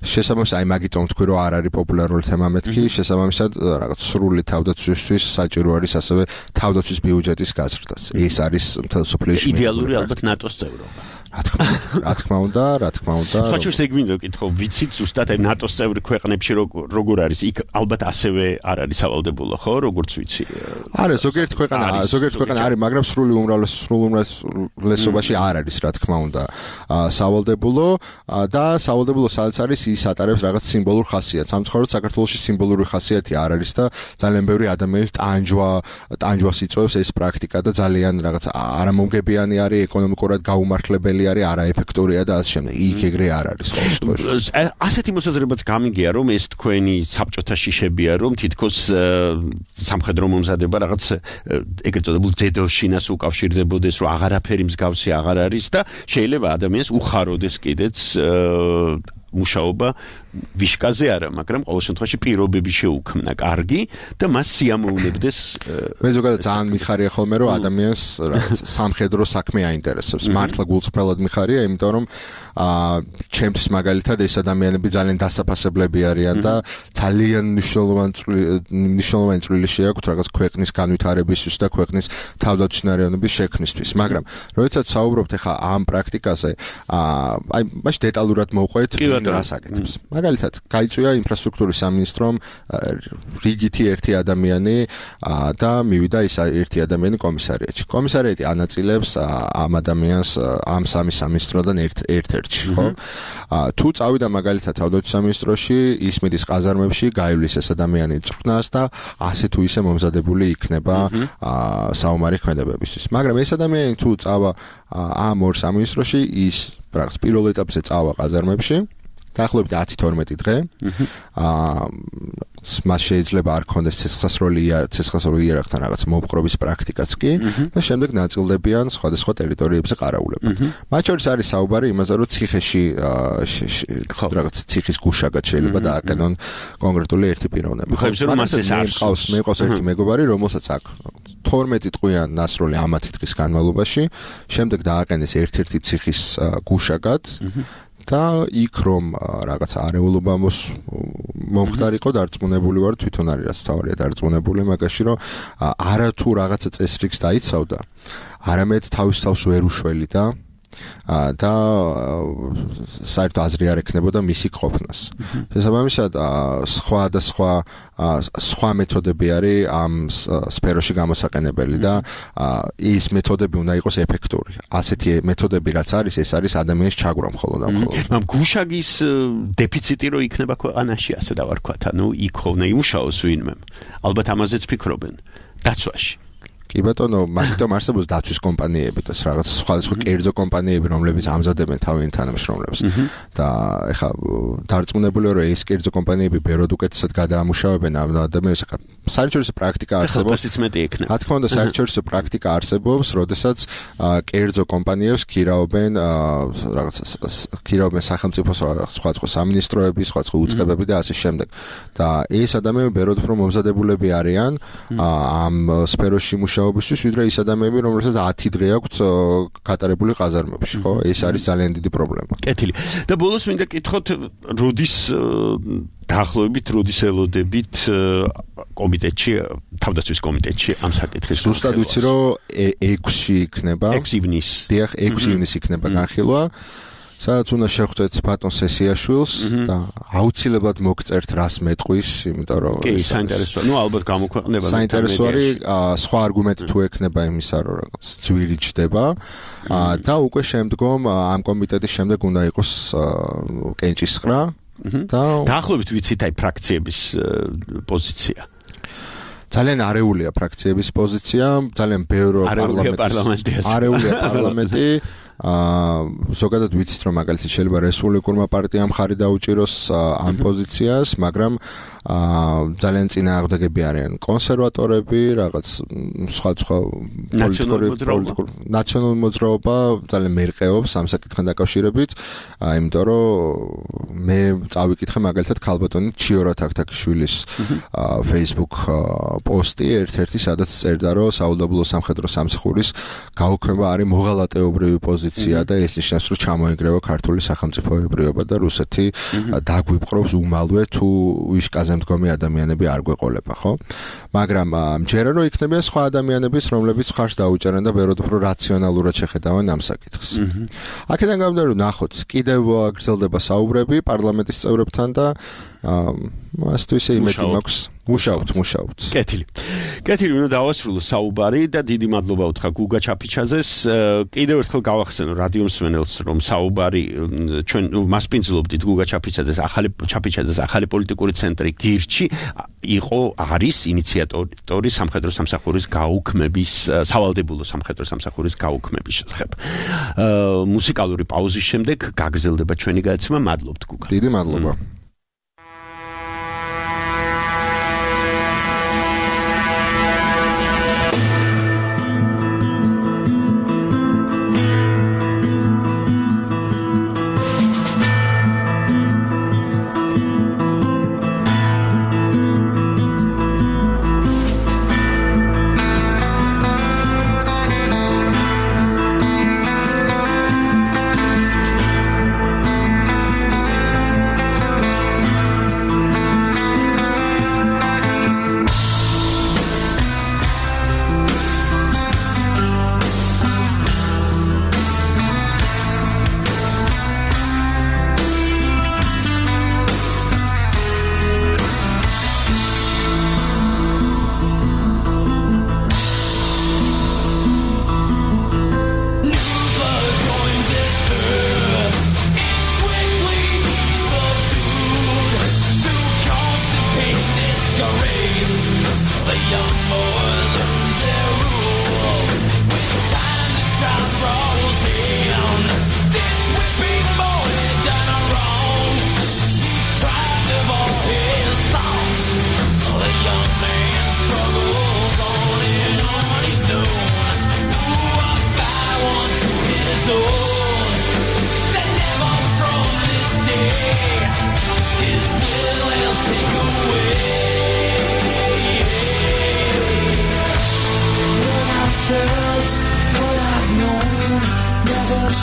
შესაბამისად აი მაგიტომ თქვი რომ არ არის პოპულარული თემა მეთქი, შესაბამისად რაღაც სრული თავდაცვისთვის საჭირო არის ასევე თავდაცვის ბიუჯეტის გაზრდაც. ეს არის მთელ სოფლიოში იდეალური ალბათ ნატოს წევრობა. რა თქმა უნდა, რა თქმა უნდა. ხოჭოს ეგ მინდა ვკითხო, ვიცით ზუსტად აი ნატოს წევრი ქვეყნებში როგორ არის? იქ ალბათ ასევე არ არის სავალდებულო, ხო, როგორც ვიცი. არა, ზოგიერთი ქვეყანა, ზოგიერთი ქვეყანა არის, მაგრამ სრული უმრავლეს სრული უმრავლესობაში არ არის, რა თქმა უნდა, სავალდებულო და სავალდებულო სადაც არის ის ატარებს რაღაც სიმბოლურ ხასიათს. სამწუხაროდ საქართველოში სიმბოლური ხასიათი არ არის და ძალიან ბევრი ადამიანის ტანჯვა, ტანჯვას იწვევს ეს პრაქტიკა და ძალიან რაღაც არამომგებიანი არის, ეკონომიკურად გაუმართლებელი არის, არაეფექტურია და ასე შემდეგ. იქ ეგრე არ არის ყოველთვის. ასეთი მოსაზრებაც გამიგია, რომ ეს თქვენი საბჭოთა შიშებია, რომ თითქოს სამხედრო მომზადება რაღაც ეგრეთ წოდებულ დედოვშინას უკავშირდებოდეს, რომ აღარაფერი მსგავსი აღარ არის და შეიძლება ადამიანს უხაროდეს კიდეც მუშაობა ვიშკაზე არა, მაგრამ ყოველ შემთხვევაში პირობები შეუქმნა კარგი და მას სიამოვნებდეს. მე ზოგადად ძალიან მიხარია ხოლმე რომ ადამიანს სამხედრო საქმე აინტერესებს. მართლა გულწრფელად მიხარია, იმიტომ რომ აა ჩემთვის მაგალითად ეს ადამიანები ძალიან დასაფასებლები არიან და ძალიან მნიშვნელოვანი მნიშვნელოვანი წვლილი შეაქვთ რაღაც ქვეყნის განვითარებისთვის და ქვეყნის თავდაცვითარების შექმნისთვის. მაგრამ როდესაც საუბრობთ ახლა ამ პრაქტიკაზე, აა აი მაშ დეტალურად მოვყვეთ რას აკეთებს. მაგალითად, გაიწვია ინფრასტრუქტურის სამინისტრომ რიგითი ერთი ადამიანი და მივიდა ის ერთი ადამიანი კომისარიატში. კომისარიატი ანაწილებს ამ ადამიანს ამ სამი სამინისტროდან ერთ-ერთში, ხო? თუ წავიდა მაგალითად თავდაცვის სამინისტროში, ისმის ყაზარმებში გაივლის ეს ადამიანი წვრთნას და ასე თუ ისე მომზადებული იქნება საომარი ქმედებებისთვის. მაგრამ ეს ადამიანი თუ წავა ამ ორ სამინისტროში, ის რაღაც პირველ ეტაპზე წავა ყაზარმებში დაახლოებით ათი თორმეტი დღე. აა მას შეიძლება არ ქონდეს ცეცხლსასროლი ცეცხლსასროლი იარაღთან რაღაც მოპყრობის პრაქტიკაც კი და შემდეგ ნაწილდებიან სხვადასხვა ტერიტორიებზე ყარაულებად. მათ შორის არის საუბარი იმაზე, რომ ციხეში რაღაც ციხის გუშაგად შეიძლება დააყენონ კონკრეტული ერთი პიროვნება. მყავს მე მყავს ერთი მეგობარი, რომელსაც აქვს თორმეტი ტყვიან ნასროლი ამათი დღის განმავლობაში, შემდეგ დააყენეს ერთ-ერთი ციხის გუშაგად და იქ რომ რაღაც არეულობა მომხდარიყო დარწმუნებული ვარ თვითონ არის რაც თავარია დარწმუნებული მაგაში რომ არა თუ რაღაცა წესრიგს დაიცავდა არამედ თავის თავს ვერ უშველი და და საერთოდ აზრი არ ექნებოდა მისი ყოფნას. შესაბამისად სხვა და სხვა სხვა მეთოდები არის ამ სფეროში გამოსაყენებელი და ის მეთოდები უნდა იყოს ეფექტური. ასეთი მეთოდები რაც არის, ეს არის ადამიანის ჩაგვრა მხოლოდ და მხოლოდ. მაგრამ გუშაგის დეფიციტი რო იქნება ქვეყანაში, ასე დავარქვათ, ანუ იქ ხოლმე იმუშაოს ვინმე. ალბათ ამაზეც ფიქრობენ დაცვაში. კი ბატონო, მაგიტომ არსებობს დაცვის კომპანიები და რაღაც სხვადასხვა კერძო კომპანიები, რომლებიც ამზადებენ თავიანთ თანამშრომლებს. და ეხლა დარწმუნებული ვარ, რომ ეს კერძო კომპანიები ბეროდ უკეთესად გადაამუშავებენ ამ ადამიანებს. ეხლა საერთაშორისო პრაქტიკა არსებობს. რა თქმა უნდა, საერთაშორისო პრაქტიკა არსებობს, როდესაც კერძო კომპანიებს ქირაობენ რაღაც ქირაობენ სახელმწიფოს სხვადასხვა სამინისტროები, სხვადასხვა უწყებები და ასე შემდეგ. და ეს ადამიანები ბეროდ უფრო მომზადებულები არიან ამ სფეროში მუშაობისთვის, ვიდრე ის ადამიანები, რომელსაც ათი დღე აქვთ გატარებული ყაზარმებში, ხო? ეს არის ძალიან დიდი პრობლემა. კეთილი. და ბოლოს მინდა კითხოთ, როდის დაახლოებით როდის ელოდებით კომიტეტში, თავდაცვის კომიტეტში ამ საკითხის ზუსტად ვიცი, რომ ექვსში იქნება. ექვსი ივნისი. დიახ, ექვსი ივნისი იქნება განხილვა. სადაც უნდა შეხვდეთ ბატონ სესიაშვილს და აუცილებლად მოგწერთ რას მეტყვის, იმიტომ რომ კი, საინტერესოა. ნუ ალბათ გამოქვეყნება. საინტერესო არის სხვა არგუმენტი თუ ექნება იმისა, რომ რაღაც ძვირი ჩდება და უკვე შემდგომ ამ კომიტეტის შემდეგ უნდა იყოს კენჭისყრა და დაახლოებით ვიცით აი ფრაქციების პოზიცია. ძალიან არეულია ფრაქციების პოზიცია, ძალიან ბევრი პარლამენტი. არეულია პარლამენტი. აა ზოგადად ვიცით რომ მაგალითად შეიძლება რესპუბლიკურმა პარტიამ ხარი დაუჭიროს ამ პოზიციას, მაგრამ აა ძალიან წინააღმდეგები არიან კონსერვატორები, რაღაც სხვა სხვა პოლიტიკური ნაციონალური მოძრაობა ძალიან მერყეობს ამ საკითხთან დაკავშირებით, იმიტომ რომ მე წავიკითხე მაგალითად ქალბატონი ჩიორა თაქთაქიშვილის Facebook პოსტი ერთ-ერთი, სადაც წერდა რომ საუდაბლო სამხედრო სამსახურის გაუქმება არის მოღალატეობრივი პოზიცია და ეს ნიშნავს რომ ჩამოიგრევა ქართული სახელმწიფოებრიობა და რუსეთი დაგვიპყრობს უმალვე თუ ვიშკაზე მდგომი ადამიანები არ გვეყოლება, ხო? მაგრამ მჯერა რომ იქნებიან სხვა ადამიანებიც, რომლებიც ხარს დაუჭერენ და ბევრად უფრო რაციონალურად შეხედავენ ამ საკითხს. აქედან გამომდინარე რომ ნახოთ, კიდევ გრძელდება საუბრები პარლამენტის წევრებთან და ასე თუ ისე იმედი მაქვს მუშაობთ, მუშაობთ. კეთილი. კეთილი, უნდა დავასრულო საუბარი და დიდი მადლობა უთხრა გუგა ჩაფიჩაძეს. კიდევ ერთხელ გავახსენო რადიო მსმენელს, რომ საუბარი ჩვენ მასპინძლობდით გუგა ჩაფიჩაძეს, ახალი ჩაფიჩაძეს ახალი პოლიტიკური ცენტრი გირჩი იყო არის ინიციატორი სამხედრო სამსახურის გაუქმების, სავალდებულო სამხედრო სამსახურის გაუქმების შესახებ. მუსიკალური პაუზის შემდეგ გაგრძელდება ჩვენი გადაცემა. მადლობთ გუგა. დიდი მადლობა.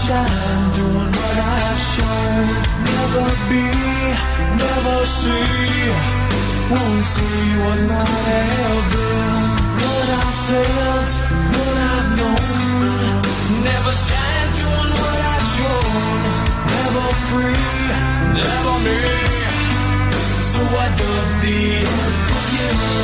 shine doing what I've shown. Never be, never see. Won't see what might have been. What I felt, what I've known. Never shine doing what I've shown. Never free, never me. So I dug the unforgiven.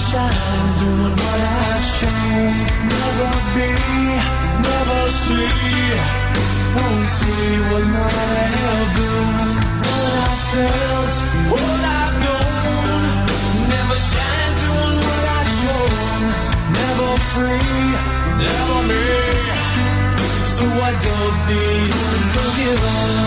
Shine doing what I've shown. Never be, never see. Won't see what might have been. What I felt, what I've known. Never shine doing what I've shown. Never free, never me. So I dug the unforgiven.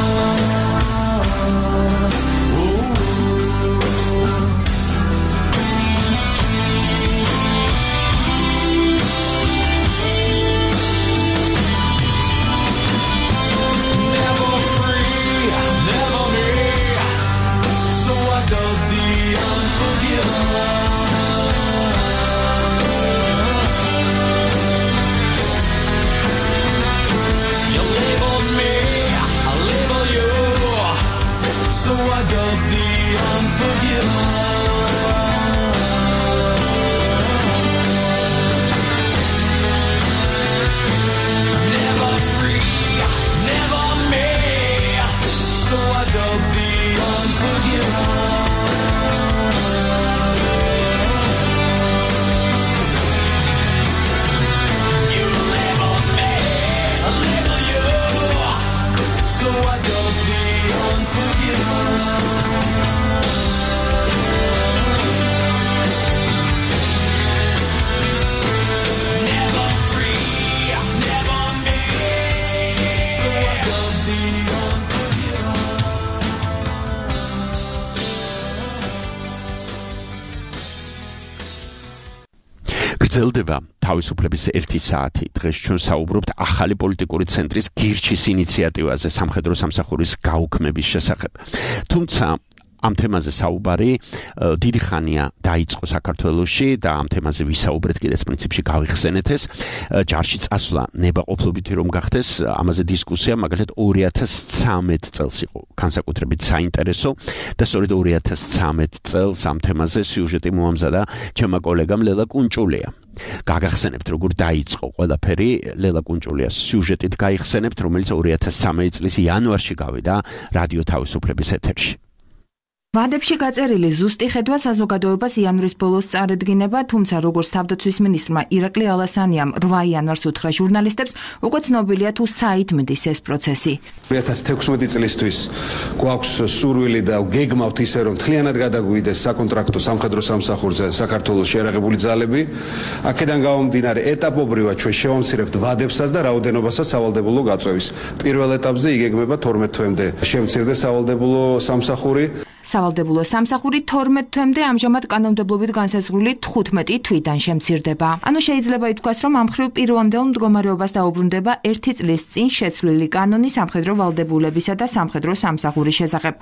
გრძელდება თავისუფლების ერთი საათი. დღეს ჩვენ საუბრობთ ახალი პოლიტიკური ცენტრის გირჩის ინიციატივაზე სამხედრო სამსახურის გაუქმების შესახებ. თუმცა ამ თემაზე საუბარი დიდი ხანია დაიწყო საქართველოში და ამ თემაზე ვისაუბრეთ კიდეც პრინციპში გავიხსენეთ ეს ჯარში წასვლა ნებაყოფლობითი რომ გახდეს ამაზე დისკუსია მაგალითად ორი ათას ცხრამეტ წელს იყო განსაკუთრებით საინტერესო და სწორედ ორი ათას ცხრამეტ წელს ამ თემაზე სიუჟეტი მოამზადა ჩემმა კოლეგამ ლელა კუნჭულია გაგახსენებთ როგორ დაიწყო ყველაფერი ლელა კუნჭულიას სიუჟეტით გაიხსენებთ რომელიც ორი ათას ცხრამეტ წლის იანვარში გავიდა რადიო თავისუფლების ეთერში ვადებში გაწერილი ზუსტი ხედვა საზოგადოებას იანვრის ბოლოს წარედგინება, თუმცა როგორც თავდაცვის მინისტრმა ირაკლი ალასანიამ რვა იანვარს უთხრა ჟურნალისტებს, უკვე ცნობილია თუ საით მდის ეს პროცესი. ორი ათას თექვსმეტი წლისთვის გვაქვს სურვილი და გეგმავთ ისე რომ მთლიანად გადაგვიდეს საკონტრაქტო სამხედრო სამსახურზე საქართველოს შეერაღებული ძალები. აქედან გამომდინარე ეტაპობრივად ჩვენ შევამცირებთ ვადებსაც და რაოდენობასაც სავალდებულო გაწევის. პირველ ეტაპზე იგეგმება თორმეტ თვემდე შემცირდეს სავალდებულო სამსახური. სავალდებულო სამსახური თორმეტ თვემდე ამჟამად კანონმდებლობით განსაზღვრული თხუთმეტი თვიდან შემცირდება. ანუ შეიძლება ითქვას, რომ ამ მხრივ პირვანდელ მდგომარეობას დაუბრუნდება ერთი წლის წინ შეცვლილი კანონი სამხედრო ვალდებულებისა და სამხედრო სამსახურის შესახებ.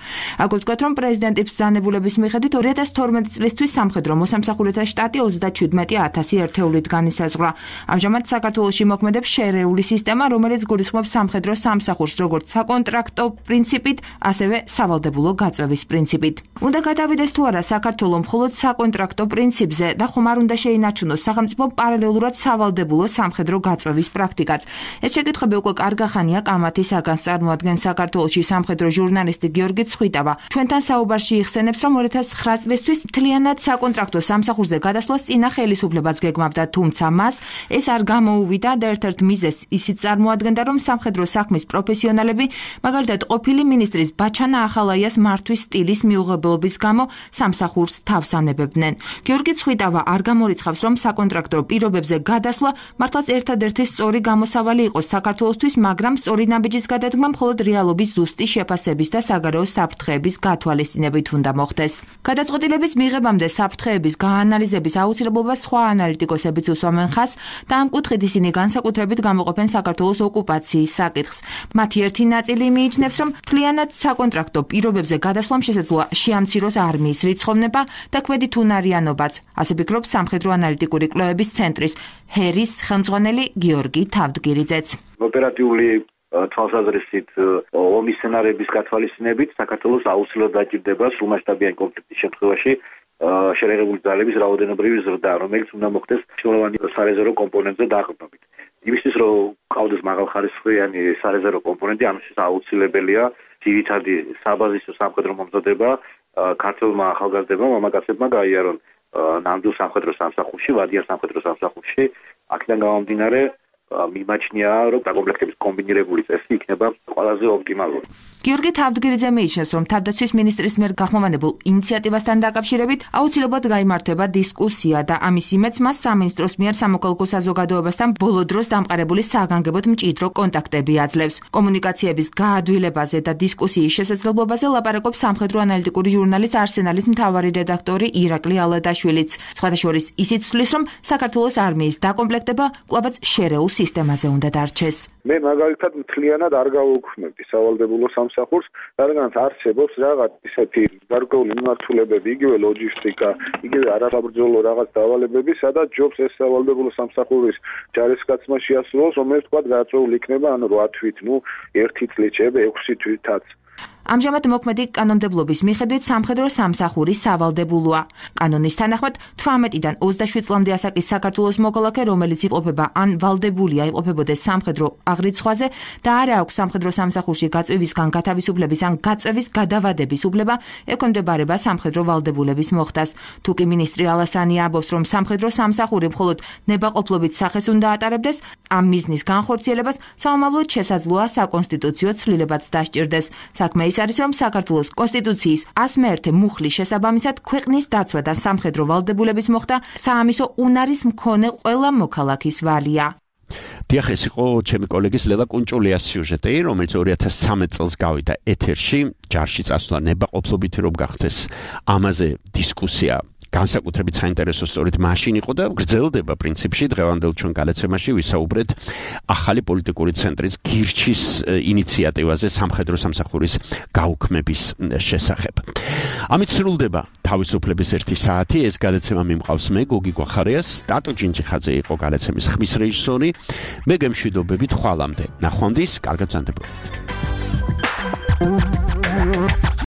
აქვე ვთქვათ, რომ პრეზიდენტის ბრძანებულების მიხედვით ორი ათას თორმეტი წლისთვის სამხედრო მოსამსახურეთა შტატი ოცდაჩვიდმეტი ათასი ერთეულით განისაზღვრა. ამჟამად საქართველოში მოქმედებს შერეული სისტემა, რომელიც გულისხმობს სამხედრო სამსახურს როგორც საკონტრაქტო პრინციპით, ასევე სავალდებულო გაწევის პრინციპით. უნდა გადავიდეს თუ არა საქართველო მხოლოდ საკონტრაქტო პრინციპზე და ხომ არ უნდა შეინარჩუნოს სახელმწიფო პარალელურად სავალდებულო სამხედრო გაწევის პრაქტიკაც. ეს შეკითხვები უკვე კარგა ხანია კამათის საგანს წარმოადგენს საქართველოში სამხედრო ჟურნალისტი გიორგი ცხვიტავა. ჩვენთან საუბარში იხსენებს, რომ ორი ათას ცხრა წლისთვის მთლიანად საკონტრაქტო სამსახურზე გადასვლას წინა ხელისუფლებაც გეგმავდა, თუმცა მას ეს არ გამოუვიდა და ერთ-ერთ მიზეზს ისიც წარმოადგენდა, რომ სამხედრო საქმის პროფესიონალები, მაგალითად ყოფილი მინისტრის ბაჩანა ახალაიას მართვის სტილის მიუღებლობის გამო სამსახურს თავს ანებებდნენ. გიორგი ცხვიტავა არ გამორიცხავს, რომ საკონტრაქტო პირობებზე გადასვლა მართლაც ერთადერთი სწორი გამოსავალი იყოს საქართველოსთვის, მაგრამ სწორი ნაბიჯის გადადგმა მხოლოდ რეალობის ზუსტი შეფასების და საგარეო საფრთხეების გათვალისწინებით უნდა მოხდეს. გადაწყვეტილების მიღებამდე საფრთხეების გაანალიზების აუცილებლობას სხვა ანალიტიკოსებიც უსვამენ ხაზს და ამ კუთხით ისინი განსაკუთრებით გამოყოფენ საქართველოს ოკუპაციის საკითხს. მათი ერთი ნაწილი მიიჩნევს, რომ მთლიანად საკონტრაქტო პირობებზე გადასვლამ შესაძლოა შეამციროს არმიის რიცხოვნება და კვედით უნარიანობაც. ასე ფიქრობს სამხედრო ანალიტიკური კვლევების ცენტრის ჰერის ხელმძღვანელი გიორგი თავდგირიძეც. ოპერატიული თვალსაზრისით ომის სცენარების გათვალისწინებით საქართველოს აუცილებლად დაჭირდება სრულმასშტაბიანი კონფლიქტის შემთხვევაში შეერაღებული ძალების რაოდენობრივი ზრდა, რომელიც უნდა მოხდეს მნიშვნელოვანი სარეზერვო კომპონენტზე დაყრდნობით. იმისთვის რომ ყავდეს მაღალხარისხიანი სარეზერვო კომპონენტი, ამისთვის აუცილებელია ძირითადი საბაზისო სამხედრო მომზადება ქართულმა ახალგაზრდებმა მამაკაცებმა გაიარონ ნამდვილ სამხედრო სამსახურში, ვადიან სამხედრო სამსახურში. აქედან გამომდინარე მიმაჩნია, რომ დაკომპლექტების კომბინირებული წესი იქნება ყველაზე ოპტიმალური. გიორგი თავდგირიძე მიიჩნევს, რომ თავდაცვის მინისტრის მიერ გახმოვანებულ ინიციატივასთან დაკავშირებით აუცილებლად გაიმართება დისკუსია და ამის იმედს მას სამინისტროს მიერ სამოქალაქო საზოგადოებასთან ბოლო დროს დამყარებული საგანგებოდ მჭიდრო კონტაქტები აძლევს. კომუნიკაციების გაადვილებაზე და დისკუსიის შესაძლებლობაზე ლაპარაკობს სამხედრო ანალიტიკური ჟურნალის არსენალის მთავარი რედაქტორი ირაკლი ალადაშვილიც. სხვათა შორის ისიც თვლის, რომ საქართველოს არმიის დაკომპლექტება კვლავაც შერეულ სისტემაზე უნდა დარჩეს. მე მაგალითად მთლიანად არ გავუქმებდი სავალდებულო სამსახურს, რადგანაც არსებობს რაღაც ისეთი გარკვეული მიმართულებები, იგივე ლოჯისტიკა, იგივე არასაბრძოლო რაღაც დავალებები, სადაც ჯობს ეს სავალდებულო სამსახურის ჯარისკაცმა შეასრულოს, რომელიც თქვა გაწეული იქნება ანუ რვა თვით, ნუ ერთი წლით, შეიძლება ექვსი თვითაც. ამჟამად მოქმედი კანონმდებლობის მიხედვით სამხედრო სამსახური სავალდებულოა. კანონის თანახმად თვრამეტიდან ოცდაშვიდ წლამდე ასაკის საქართველოს მოქალაქე, რომელიც იყოფება ან ვალდებულია იყოფებოდეს სამხედრო აღრიცხვაზე და არ აქვს სამხედრო სამსახურში გაწვევისგან გათავისუფლების ან გაწევის გადავადების უფლება, ექვემდებარება სამხედრო ვალდებულების მოხდას. თუკი მინისტრი ალასანი ამბობს, რომ სამხედრო სამსახური მხოლოდ ნებაყოფლობით სახეს უნდა ატარებდეს, ამ მიზნის განხორციელებას საომავლოდ შესაძლოა საკონსტიტუციო ცვლილებაც დასჭირდეს. საქმე ის არის, რომ საქართველოს კონსტიტუციის ასი მეერთე მუხლის შესაბამისად ქვეყნის დაცვა და სამხედრო ვალდებულების მოხდა საამისო უნარის მქონე ყველა მოქალაქის ვალია. დიახ, ეს იყო ჩემი კოლეგის ლელა კუნჭულიას სიუჟეტი, რომელიც ორი ათას ცხრამეტ წელს გავიდა ეთერში, ჯარში წასვლა ნებაყოფლობითი რომ გახდეს. ამაზე დისკუსია განსაკუთრებით საინტერესო სწორედ მაშინ იყო და გრძელდება პრინციპში დღევანდელ ჩვენ გადაცემაში ვისაუბრეთ ახალი პოლიტიკური ცენტრის გირჩის ინიციატივაზე სამხედრო სამსახურის გაუქმების შესახებ. ამით სრულდება თავისუფლების ერთი საათი. ეს გადაცემა მიმყავს მე გოგი გვახარიას, ტატო ჯინჯიხაძე იყო გადაცემის ხმის რეჟისორი. მე გემშვიდობებით ხვალამდე. ნახვამდის, კარგად ზანდებოდეთ.